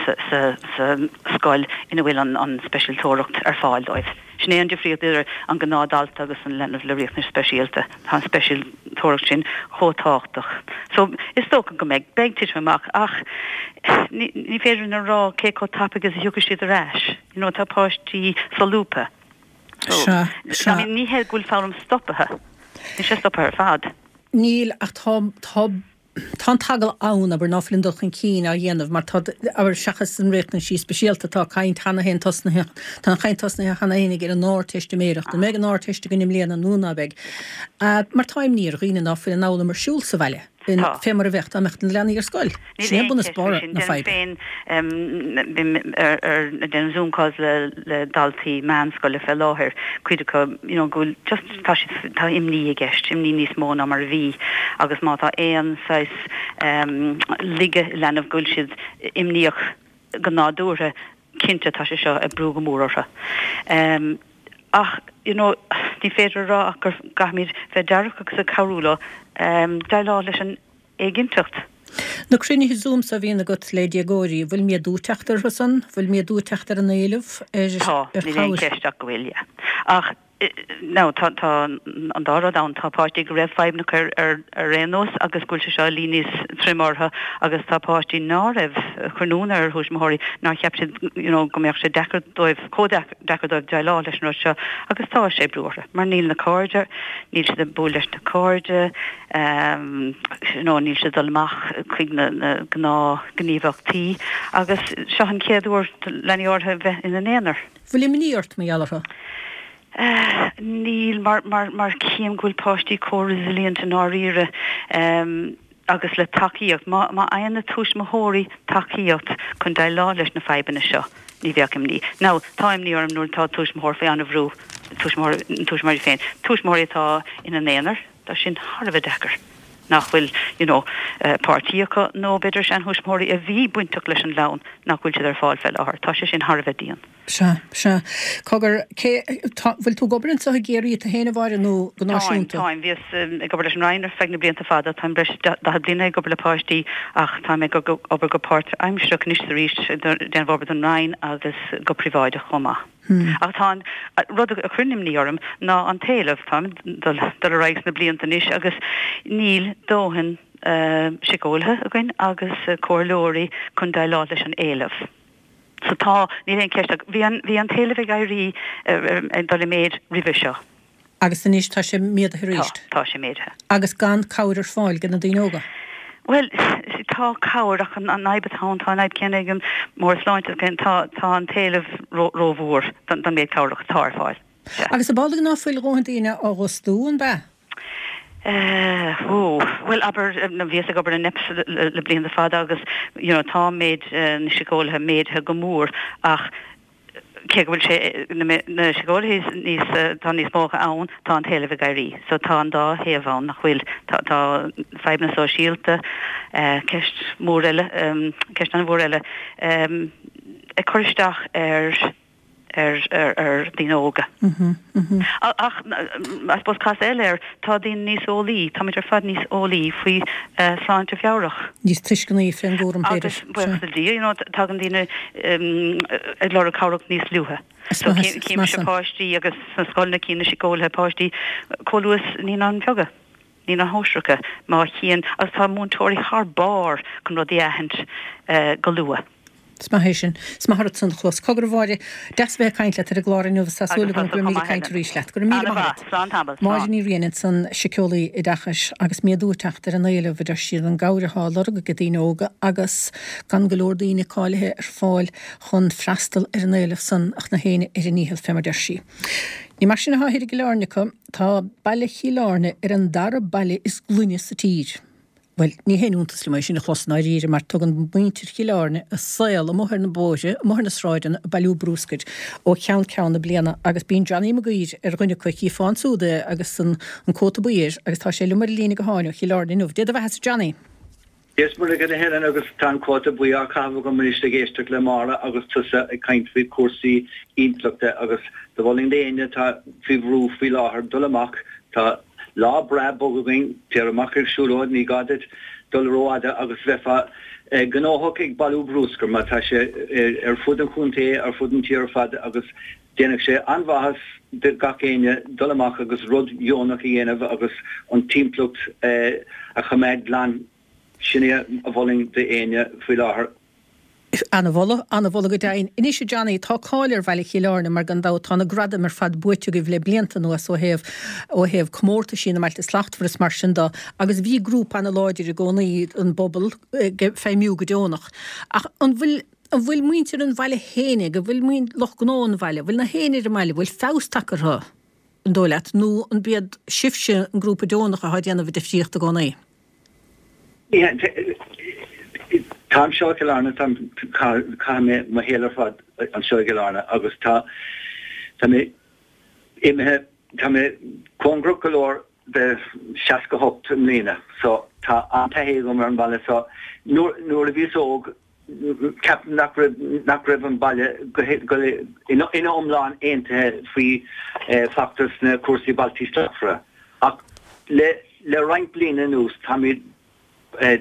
sa scoil ina bhfuil an speisialtóireacht ar fáil dóibh. Sin é an difríocht idir an gnáthdhalta agus an leanbh le riachtanais speisialta, tá an speisialtóireacht sin chomh tábhachtach. So is dócha go mbeidh, beidh titim amach ach ní féidir linn a rá cé chomh tapaidh is a thiocfaidh siad ar ais. You know, tá páistí solúbtha. So, Sea, sea. I mean, ní hé go bhfuil foghlaim stoptha. Níl sé stoptha ar fad. Níl, ach tá, tá, tá an t-eagla ann, abair, ná fuil an dul chun cinn á dhéanamh mar tá, abair, seachas an riachtanaisí speisialta, tá caint cheana féin tosnaithe, tá an chaint tosnaithe cheana féin ag ar an Ardteistiméireacht. An mbeidh an Ardteist againn i mbliana nó ná beidh? Mar tá imní ar dhaoine ná fuil an fhoghlaim ar siúl sa bhaile. Tá. Fé mar a bheadh dá mbeadh na leanaí ar scoil. Níl Sin é aon bunús cheist faoi barra sin. na Déanaim faidhbe. féin, bím ar, ar, ag déanamh Zoom calls le, le daltaí meánscoile fé láthair, cuid acu, you know, go bhfuil just, tá siad, tá imní i gceist, imní níos mó ná mar a bhí agus má tá aon saghas laige i leanbh go bhfuil siad imníoch go nádúrtha, cinnte tá sé seo ag brú go mór orthu. Ach, you know, ní féidir a rá ach go gcaithfimid bheith dearfach agus ag cabhrú leo déileáil leis an éiginnteacht. Na cruinnithe Zoom so a bhíonn agat le déagóirí, an bhfuil méadú ag teacht orthu san? Bhfuil méadú ag teacht ar an éileamh ar Tá, níl aon chabhair? cheist ach go bhfuil, yeah. Ach, now, tá, tá an dá rud ann, tá páistí go raibh fadhbanna acu ar, ar, ar aon nós agus go bhfuil sé seo ag luí níos troime orthu agus tá páistí ná raibh ag cur ionadh ar thuismitheoirí nár cheap siad, you know, go mbeadh sé deacair dóibh, chomh deacair. deacair dóibh déileáil leis an rud seo agus tá sé ag brú orthu mar níl na cairde, níl siad ag bualadh leis na cairde, you know níl siad ag dul amach chuig na na gnáthghníomhaíochtaí agus seo an chéad uair do leanaí áirithe bheith ina n-aonar. Bhfuil imní ort mar gheall orthu? Níl mar mar mar tchím go bhfuil páistí chomh resilient i ndáiríre. agus le tacaíocht. Má fhaigheann na tuismitheoirí tacaíocht chun déileáil leis na fadhbanna seo, ní bheadh imní. Now, tá imní orm nuair atá tuismitheoir faoi an-bhrú, tuismitheoir, na tuismitheoirí féin, tuismitheoirí atá ina n-aonar, tá sin thar a bheith deacair. Nach bhfuil, you know, páirtí acu nó b'fhéidir seanthuismitheoirí a bhí bainteach leis an gclann nach bhfuil siad ar fáil fé láthair. Tá sé sin thar a bheith dian. Sea, sea. Cogar, cé, tá, bhfuil tú ag obair anseo i gCiarraí tú féin a Mháire nó go Táim, náisiúnta? táim. Bhíos ag obair leis an Roinn ar feadh na blianta fada. Táim breis is 40 bliana ag obair le páistí ach táim ag obair go páirtaimsearach anois is arís, ag déanamh obair don Roinn agus go príobháideach chomh maith. Ach tá an rud a chuireann imní orm ná an t-éileamh. Táim ag dul ar aghaidh sna blianta anois agus níl dóthain síceolaithe againn agus comhairleoirí chun déileáil leis an éileamh. So tá, níl aon cheist ach bhí an, bhí an t-éileamh ag éirí, ag dul i méid roimhe seo. Agus anois tá sé méadaithe arís. Tá, tá sé méadaithe. Agus gan cabhair ar fáil do na daoine óga. Bhuel, tá cabhair ach an fhadhb atá ann, tá an fhadhb céanna ag an mBord Sláinte, tá, tá an t-éileamh ró-mhór don méid cabhrach atá ar fáil. Sea. Agus ab amhlaidh ná fuil dhóthain daoine á bhfostú, an b'ea? Eh, ó, bhuel, abair, bhíos ag obair in NEPS le blianta fada agus, you know, tá méid na síceolaithe méadaithe go mór ach, cé go bhfuil sé, na síceolaithe níos, tá níos mó acu ann, tá an t-éileamh ag éirí. So tá an dá thaobh ann, nach bhfuil? Tá, tá fadhbanna sóisialta, ceist mhór eile, ceist an-mhór eile, ag cur isteach ar, ar, ar, ar daoine óga. Ach, I suppose casadh eile air, tá daoine níos eolaí, táimid ar fad níos eolaí faoi shláinte mheabhrach. Níos tuisceanaí fén gcúram, b'fhéidir. Agus buíochas le Dia, you know, tagann daoine ag lorg cabhrach níos luaithe. So címse páistí agus sna scoileanna cíonn na síceolaithe páistí chomh luath is naíonáin bheaga, naíonáin shóisearacha, má chíonn, agus tá múinteoirí thar barr chun rudaí a aithint go luath. Is maith é sin. Is maith ortsa an chlos. Cogar a Mháire, deas a bheith ag caint leat ar an gclár inniu agus tá súil agam go mbeimid ag caint arís leat. Go raibh míle maith agat. Slán tamall. Máire Ní Riain ansan, síceolaí oideachais, agus méadú ag teacht ar an éileamh, a deir siad, an gcabhair atá á lorg ag daoine óga agus gan go leor daoine cáilithe ar fáil chun freastal ar an éileamh san ach na héinne ar a ndícheall, fé mar deir sí. Ní mar sin atá thoir i gCill Airne acu. Tá baile Chill Airne ar an dara baile is glaine sa tír. Bhuel, ní haon iontas liom é sin a chlos i ndáiríre, mar tugann muintir Chill Airne a saol amuigh ar na bóithre, amuigh ar na sráideanna ag bailiú brúscair ó cheann ceann na bliana agus bíonn Johnny Mac Uidhir ar dhuine acu, chífeá ansúd é agus an cóta buí air agus tá sé liom ar an líne gutháin ó Chill Airne inniu. Dé do bheathasa Johnny! Dia is Muire dhuit a Helen agus tá an cóta buí á chaitheamh agam anois ag éisteacht le Máire agus tusa ag caint faoi chúrsaí intleachta agus do mholfainn d'éinne atá faoi bhrú faoi láthair dul amach, tá Lá breá bog againn, téir amach ar siúlóid, ní gá duit dul rófhada agus bheifeá gnóthach ag bailiú brúscair mar tá sé ar fud an chontae, ar fud an tír ar fad agus déanfadh sé an-mhaitheas do gach éinne dul amach agus rud dheonach a dhéanamh agus an timpeallacht a choimeád glan. Sin é a mholfainn d'éinne faoi láthair. Ana-mholadh, ana-mholadh go deimhin. Anois a Johnny, tá cáil ar bhaile Chill Airne mar gan dabht tá na gradaim ar fad buaite agaibh le blianta anuas ó thaobh, ó thaobh comórtaisí na mBailte Slachtmhara is mar sin de agus bhí grúpa ana-láidir i gcónaí an bpobal ag feidhmiú go deonach. Ach an bhfuil, an bhfuil muintir an bhaile fhéinig, an bhfuil lucht gnó an bhaile, an bhfuil na héinne ar an mbaile, an bhfuil feabhas tagtha orthu, an dóigh leat, nó an b'iad sibhse an grúpa deonach atá ag déanamh an difríocht i gcónaí? Tá anseo i gCill Airne, táim, chaith mé mo shaol ar fad anseo i gCill Airne agus tá, tá mé imithe, tá mé cóngarach go leor de 68 i mbliana so tá an-taithí agam ar an bhaile so nuair, nuair a bhíos óg ceapaim nach raibh, nach raibh an baile go, go, ina iomlán aontaithe faoi feachtas na cúrsaí Bailtí Slachtmhara ach le, Le roinnt bliana anuas táimid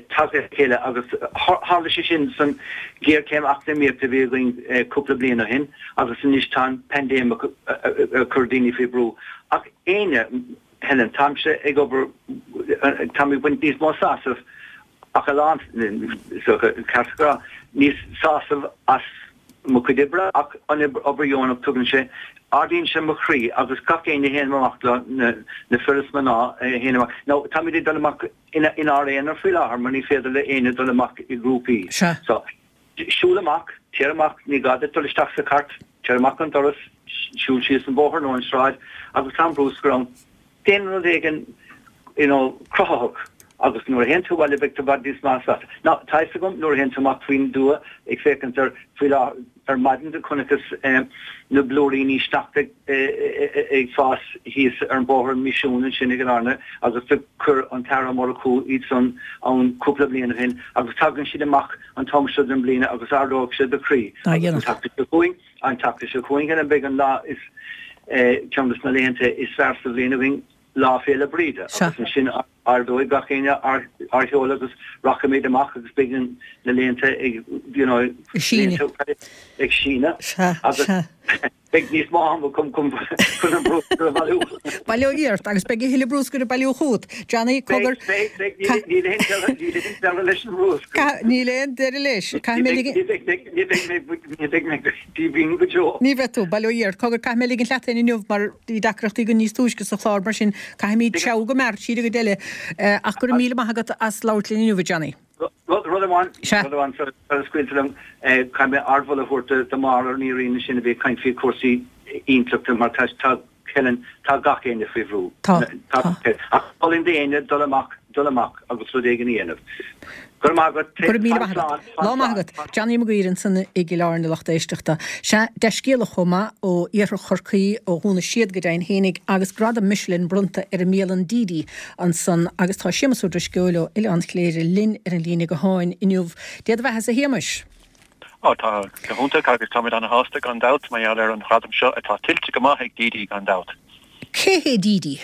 tagtha le chéile agus tharla sé sin san ghéarchéim eacnamaíochta a bhí againn cúpla bliain ó shin agus anois tá an paindéim ag cur daoine faoi bhrú. Ach éinne, Helen, táimse ag obair, táim ag baint níos mó sásamh ach a lán, ceart a rá, níos sásamh as mo chuid oibre ach an obair dheonach tugann sé, ardaíonn sé mo chroí agus gach éinne a théann amach leo, na fir is mná a théann amach. Now táimid ag dul amach inár aonar faoi láthair mar ní féidir le éinne dul amach i ngrúpaí. So siúl amach, téir amach, ní gá duit dul isteach sa chairt, téir amach an doras, siúl síos an bóthar nó an sráid agus tá an brúscar ann. Déan rud éigin you know cruthaitheach. Agus nuair a théann tú abhaile beidh tú i bhfad níos measa sásta. Now, tá fhios agam nuair a théann tú amach faoin dtuath ag féachaint ar, faoi láthair, ar maidin do chonaiceas na blúiríní sneachta ag fás thíos ar an bóthar Misiún ansin i gCill Airne agus do chuir an tAire Ó Murchú iad san ann cúpla bliain ó shin agus tagann siad amach an t-am seo den bhliain agus ardóidh sé do chroí. Agus an tseachtain seo chugainn, an tseachtain seo chugainn Helen beidh an lá is, ceann des na laethanta is fearr sa bhliain againn, Lá Féile Bríde agus ansin ardóidh gach éinne ár sheol agus rachaimid amach agus beidh na laethanta ag you know ag síneadh agus beidh níos mó ama chun chun an bruscar a bhailiú. Baileoidh ort agus beidh a thuilleadh bruscair ag bailiú chugat. Johnny, cogar. Beidh, beidh, beidh, níl aon deireadh, níl aon deireadh leis an mbruscar. Níl aon deireadh leis. Caithfidh mé ligean. Ní bheidh mé, ní bheidh mé díomhaoin go deo. Ní bheidh tú, baileoidh ort. Cogar, caithfidh mé ligint leat féin inniu mar bhí deacrachtaí againn níos túisce sa chlár mar sin caithfimid treabhadh go mear siar an gcuid eile. Ach go raibh míle maith agat as labhairt linn inniu, a Johnny. Rud amháin, rud amháin sula scaoiltear liom, caithfidh mé ardmholadh a thabhairt do Mháire Ní Riain ansin a bhí ag caint faoi chúrsaí intleachta mar tá Helen, tá gach éinne faoi bhrú. Tá, tá. Ach mholfainn d'éinne dul amach, dul amach agus rud éigin a dhéanamh. Go raibh maith agat. Go raibh míle maith agat. Lá maith agat. Johnny Mag Uidhir ansan i gCill Airne, lucht éisteachta. Sea, dea-scéala chomh maith ó iarthar Chorcaí, ó Dhún na Séad go deimhin fhéinig, agus gradam Michelin bronnta ar an mbialann Didi ansan agus tá Séamus Ó Drisceoil ó Oileán Chléire linn ar an líne gutháin inniu. Dé do bheatha-sa a Shéamais! Ó, tá go hiontach agus táimid ana-shásta gan dabht mar gheall ar an ghradam seo atá tuillte go maith ag Didi gan dabht. Cé hé Didi?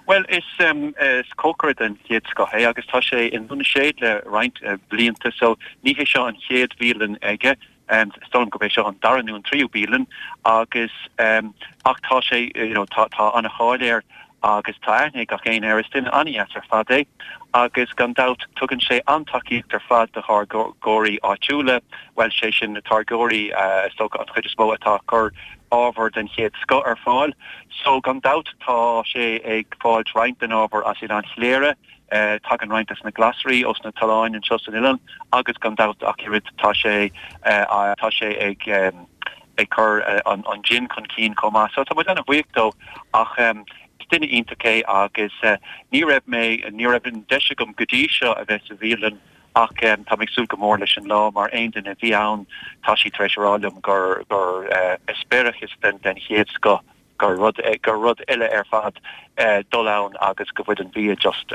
Bhuel, is is cócaire den chéad scoth é agus tá sé i nDún na Séad le roinnt blianta so ní hé seo an chéad bhialann aige, is dóigh liom gurb é seo an dara nó an tríú bialann agus ach tá sé you know tá tá ana-cháil air agus tá aithne ag gach éinne air. Is duine an-dheas ar fad é agus gan dabht tugann sé an-tacaíocht ar fad do tháirgeoirí áitiúla, bhuel, sé sin na táirgeoirí is dócha an chuid is mó atá ag cur ábhar den chéad scoth ar fáil. So gan dabht tá sé ag fáilt roinnt den ábhar as Oileán Chléire, tagann roinnt des na glasraí ós na tolláin anseo san oileán agus gan dabht ach oiread tá sé tá sé ag ag cur an jin chun cinn chomh maith. So tá muid ana-bhuíoch dó ach is duine iontach é agus ní raibh mé, ní raibh an deis agam go dtí seo a bheith sa bhialann ach tá mé ag súil go mór leis an lá mar aon duine a bhí ann tá siad tar éis a rá liom gur gur eispéireachas den den chéad scoth gur rud gur rud eile ar fad dul ann agus go bhfuil an bia just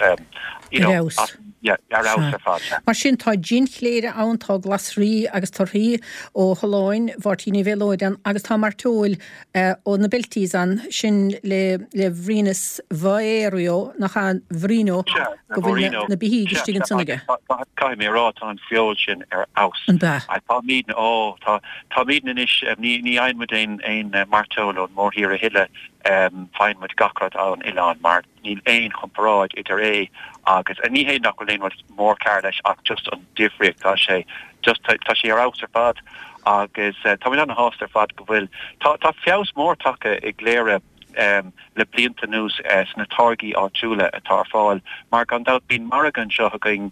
you know Ar fheabhas. yeah ar fheabhas ar fad yeah. Mar sin tá jin Chléire ann, tá glasraí agus torthaí ó Tholláin Mháirtín Uí Mhéalóid ann agus tá mairteoil ó na Belties ann, sin le le Bhrianus Mhaorio, nach ea, Bhriain Ó, Sea, go bhfuil na na beithígh istigh ansan aige. Caithfidh mé a rá tá an feoil sin ar fheabhas. An b'ea? Táimidne, ó tá Táimidne anois, ní fhaigheann muid aon mairteoil ón mórthír a thuilleadh, faigheann muid gach rud ón oileán mar níl aon chomparáid idir é agus, ní hé nach bhfuil aon rud mór cearr leis ach just an difríocht, tá sé just, tá sé ar fheabhas ar fad agus táimid ana-shásta ar fad go bhfuil, tá feabhas mór tagtha i gCléire. le blianta anuas sna táirgí áitiúla atá ar fáil, mar gan dabht bíonn margadh anseo againn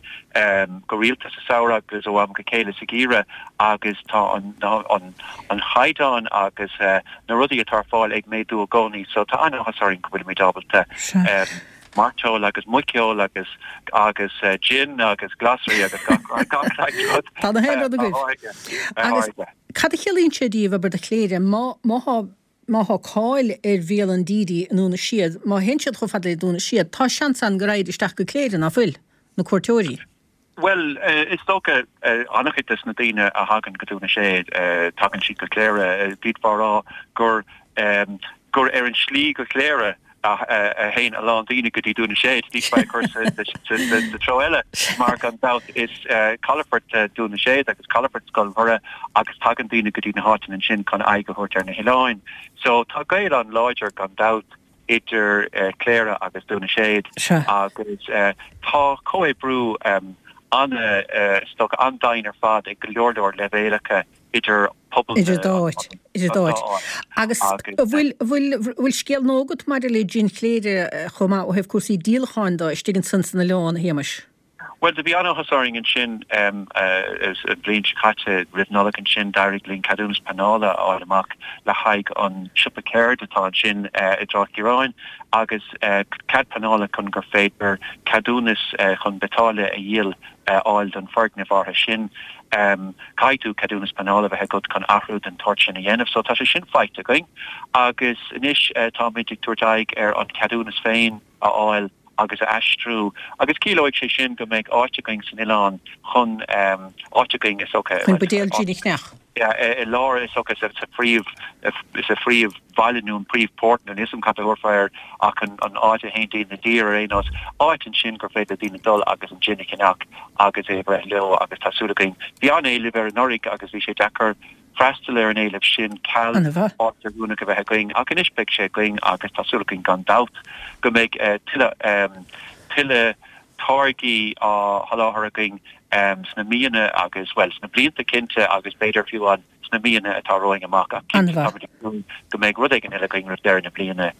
go rialta sa samhradh agus ó am go chéile sa gheimhreadh agus tá an chaighdeán agus na rudaí atá ar fáil ag méadú i gcónaí so tá an-áthas orainn go bhfuilimid ábalta mairteoil agus muiceoil agus agus jin agus glasraí agus gach gach rud Tá na haon rud agaibh. Agus cad a chiallaíonn sé daoibh, abair, do Chléire, má má thá Má thá cáil ar bhialann Didi i nDún na Séad, má théann siad chomh fada le Dún na Séad, tá seans ann go raghaid isteach go Cléire, ná fuil? Na cuairteoirí. Bhuel, is dócha, an-chuid des na daoine a thagann go Dún na Séad, tagann siad go Cléire. D'fhéadfá a rá gur gur ar an slí go Cléire a théann a lán daoine go dtí Dún na Séad, d'fhéadfá é a chur sa treo eile, mar gan dabht is calafort Dún na Séad agus calafort Scoil Mhuire agus tagann daoine go dtí na háiteanna ansin chun aghaidh a thabhairt ar na hoileáin. So tá gaol an-láidir gan dabht idir Cléire agus Dún na Séad agus tá comhoibriú an- is dócha an-domhain ar fad ag go leor leor leibhéalacha idir pobal na. Idir dá áit. Idir dá áit. Agus an bhfuil, bhfuil, bhfuil scéal nua agat maidir le jin Chléire chomh maith ó thaobh cúrsaí díolacháin de istigh ansan san oileán, a Shéamais? Bhuel, do bhí an-áthas orainn ansin an bhliain seo caite, roimh Nollaig ansin, d'éirigh linn ceadúnas pleanála a fháil amach le haghaidh an siopa ceird atá ansin i dTrá Chiaráin agus cead pleanála chun gur féidir ceadúnas chun biotáille a dhíol a fháil don foirgneamh áirithe sin. Caithfidh tú ceadúnas pleanála a bheith agat chun athrú den tsórt sin a dhéanamh. So tá sé sin faighte againn agus anois táimid ag tabhairt aghaidh ar an cheadúnas féin a fháil agus a aistriú agus ciallóidh sé sin go mbeidh áit againn san oileán chun, áit againn is dócha. Chun buidéal jin a cheannach. Yeah, i lár is dócha sa phríomh, sa phríomhbhaile nó an príomhphort nó níl 'fhios a'm cad a thabharfá air ach an áit a théann daoine i dtír ar aon nós, áit ansin gur féidir le daoine dul agus an jin a cheannach agus é a bhreith leo agus tá súil againn. Bhí an-éileamh air anuraidh agus bhí sé deacair freastal ar an éileamh sin ceal áit oiriúnach a bheith againn ach anois beidh sé againn agus tá súil againn gan dabht go mbeidh tuilleadh tuilleadh táirgí á sholáthar againn sna míonna agus, bhuel, sna blianta cinnte agus b'fhéidir fiú amháin sna míonna atá romhainn amach ach cinnte táimid ag súil go mbeidh rud éigin eile againn roimh deireadh na bliana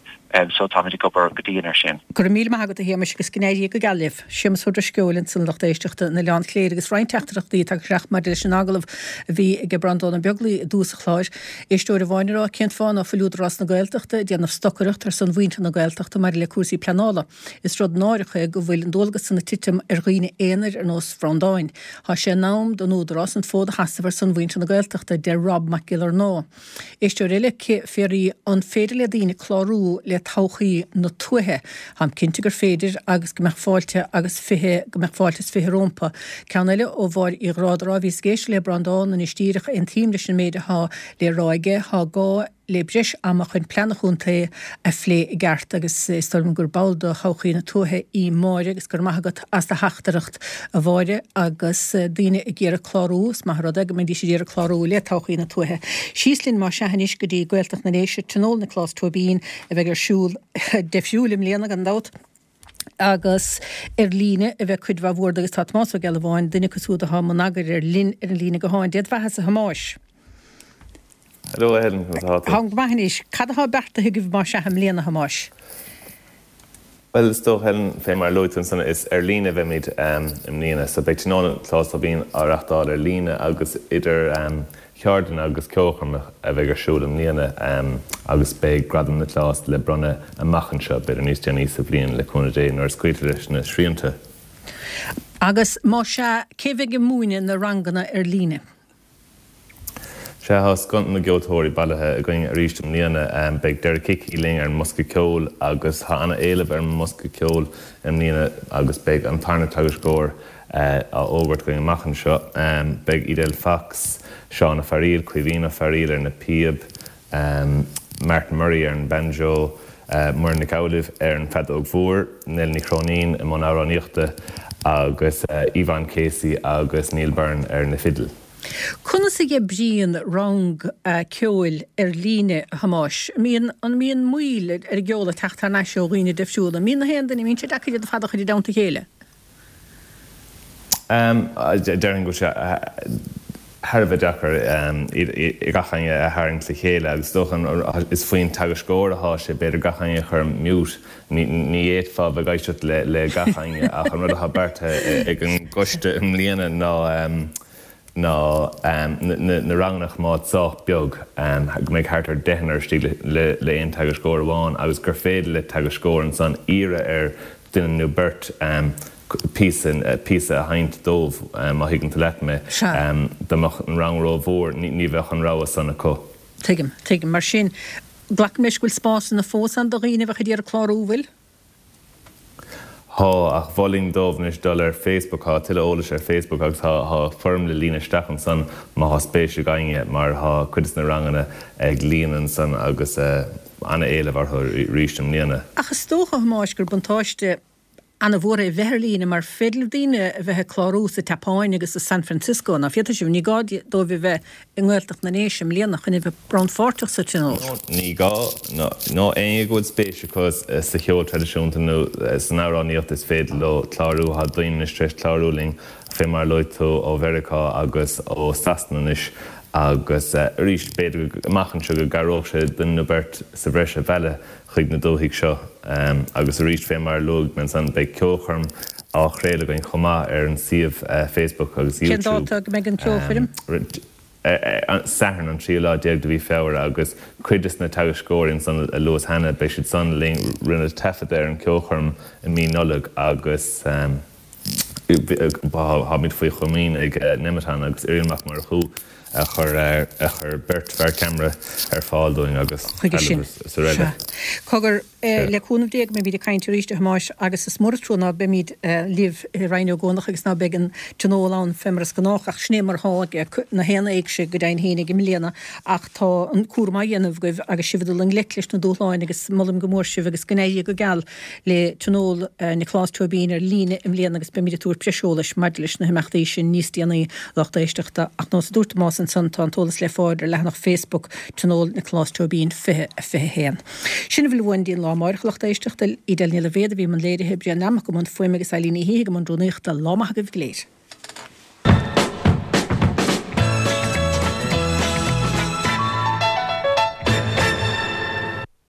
so táimid ag obair go dian air sin. Go raibh míle maith agat a Shéamais agus go n-éirí go geal libh. Séamus Ó Drisceoil ansan a lucht éisteachta in Oileán Chléire agus roinnt teachtaireachtaí tagtha isteach maidir leis an agallamh a bhí ag Breandán Ó Beaglaoi i dtús an chláir. Éisteoir amháin ag rá cén fáth ná fuil Údarás na Gaeltachta ag déanamh stocaireacht ar son mhuintir na Gaeltachta maidir le cúrsaí pleanála. Is rud náireach é go bhfuil an dualgas san ag titim ar dhaoine aonair ar nós Bhreandáin. Tá sé in am don Údarás an fód a sheasamh ar son mhuintir na Gaeltachta, deir Rob Mac Giollarnáth. Éisteoir eile, ag fiafraí an féidir le daoine clárú le Todhchaí na Tuaithe. Táim cinnte gur féidir agus go mbeadh fáilte agus 20 go mbeadh fáilte is 20 rómpa. Ceann eile ó Mháire Uí Ghráda ag rá bhíos ag éisteacht le Breandán anois díreach, aontaím leis an méid atá le rá aige, tá gá le breis ama chun plean an chontae a phlé i gceart agus is dóigh liom gur ball de Thodhchaí na Tuaithe í Máire agus go raibh maith agat as do theachtaireacht a Mháire agus daoine ag iarraidh clárú, is maith an rud é go mbeidís ag iarraidh clárú le Todhchaí na Tuaithe. Síos linn más ea anois go dtí Gaeltacht na nDéise, Tionól Nioclás Tóibín a bheidh ar siúl deifriúil i mbliana gan dabht. agus ar líne a bheidh cuid mhaith mhór de agus tá Tomás Ó Gealbháin, duine acu siúd atá i mbun eagair air, linn ar an líne gutháin. Dé do bheathasa, a Thomáis. Hello, a Helen, conas atá tú? Táim go maith anois. Cad atá beartaithe agaibh más ea i mbliana, a Thomáis? Bhuel, is dócha, Helen, fé mar a luaigh tú ansan, is ar líne a bheimid i mbliana. So beidh Tionól Nioclás Tóibín á reachtáil ar líne agus idir Cheardlanna agus ceolchoirmeacha a bheidh ar siúl i mbliana agus beidh Gradam Niocláis le bronnadh amach anseo, b'fhéidir níos déanaí sa bhliain, le cúnamh Dé, nuair a scaoiltear leis na srianta. Agus más ea, cé bheidh ag múineadh na ranganna ar líne? Sea, tá scoth na gceoltóirí bailithe againn arís i mbliana. Beidh Derek Hickey linn ar an mbosca ceoil agus tá ana-éileamh ar an mbosca ceoil i mbliana agus beidh an tarna teagascóir á fhógairt againn amach anseo. Beidh Edel Fox, Seán Ó Fearaíl, Caoimhín Ó Fearaíl ar na píob, Martin Murray ar an banjo, Muireann Nic Amhlaoibh ar an bhfeadóg mhór, Nell Ní Chróinín i mbun amhránaíochta agus Yvonne Casey agus Neil Byrne ar na fidil. Conas a oibríonn rang ceoil ar líne, a Thomáis? An mbíonn moill ar an gceol ag teacht thar n-ais ó dhaoine difriúla? An mbíonn na haon duine, an mbíonn sé deacair iad ar fad a chur i dteannta a chéile? Déarfainn go bhfuil sé thar a bheith deacair gach éinne a tharraingt le chéile agus is dócha is faoin teagascóir atá sé b'fhéidir gach éinne a chur mute. Ní fhéadfá bheith ag éisteacht le gach éinne ach an rud atá beartaithe ag an gcoiste i mbliana ná ná na ranganna a choimeád sách beag, go mbeidh thart ar deichniúr istigh le aon teagascóir amháin agus gur féidir le teagascóir ansan iarraidh ar duine nó beirt píosa píosa a sheinnt dóibh, má thuigeann tú leat mé. Dá mbeadh an rang rómhór, ní bheadh an rogha san acu. Tuigim, tuigim. Mar sin, glacaim leis go bhfuil spásanna fós ann do dhaoine a bheadh ag iarraidh clárú, bhfuil? Thá, ach mholfainn dóibh anois dul ar Facebook, thá tuilleadh eolais ar Facebook agus thá thá foirm le líonadh isteach ansan má thá spéis ag éinne mar thá cuid de na ranganna ag líonadh ansan agus ana-éileamh orthu arís i mbliana. Ach is dócha, a Thomáis, gur buntáiste ana-mhór é a bheith ar líne mar féidir le daoine a bheith ag clárú sa tSeapáin agus i San Francisco, ná féadfaidh sibh, ní gá dóibh a bheith i nGaeltacht na nDéise i mbliana chun a bheith rannpháirteach sa tionól. Ní gá. Nó éinne go bhfuil spéis acu sa cheol traidisiúnta nó san amhránaíocht is féidir leo clárú. Tá daoine anois tar éis clárú linn fé mar a luaigh tú ó Mheiriceá agus ó Sasana anois agus arís b'fhéidir go amach anseo go gcabhródh sé duine nó beirt sa bhreis a mhealladh chuig na dúthaigh seo. Agus arís fé mar a luaigh mé ansan beidh ceolchoirm. á chraoladh againn chomh maith ar an suíomh Facebook agus Cén YouTube. dáta go mbeidh an ceolchoirm? Satharn an tríú lá déag de mhí Feabhra agus cuid des na teagascóirí ansan a luas cheana, beidh siad san linn. Rinneadh taifead ar an ceolchoirm i mí Nollag agus táimid faoi chomaoin ag Nemeton agus Irial Mac Murchú a chuir a chuir beirt fear ceamara ar fáil dúinn agus Chuige sin. trealamh is araile. Sea. Cogar, Le cúnamh Dé go mbeimid ag caint arís, a Thomáis, agus is mór an trua ná beimid libh i Rinn Ó gCuanach agus ná beidh an tionól ann fé mar is gnách, ach sin é mar atá ag na haon éigse go deimhin féin i mbliana. Ach tá an cúram á dhéanamh agaibh agus sibh ag dul i ngleic leis na dúshláin agus molaim go mór sibh agus go n-éirí go geal le Tionól Nioclás Tóibín ar líne i mbliana agus beimid ag tabhairt breis eolais maidir leis na himeachtaí sin níos déanaí, lucht éisteachta. Ach nós a dúirt Tomás ansan tá an t-eolas le fáil ar leathanach Facebook Tionól Nioclás Tóibín 2021. Sin a bhfuil uainn go dtí an lá amáireach, a lucht éisteachta. Edel Ní Loibhéad a bhí i mbun léirithe, Brian Lammock i mbun fuaime agus Eileen Ní hÍthigh i mbun rúnaíochta. Lá maith agaibh go léir.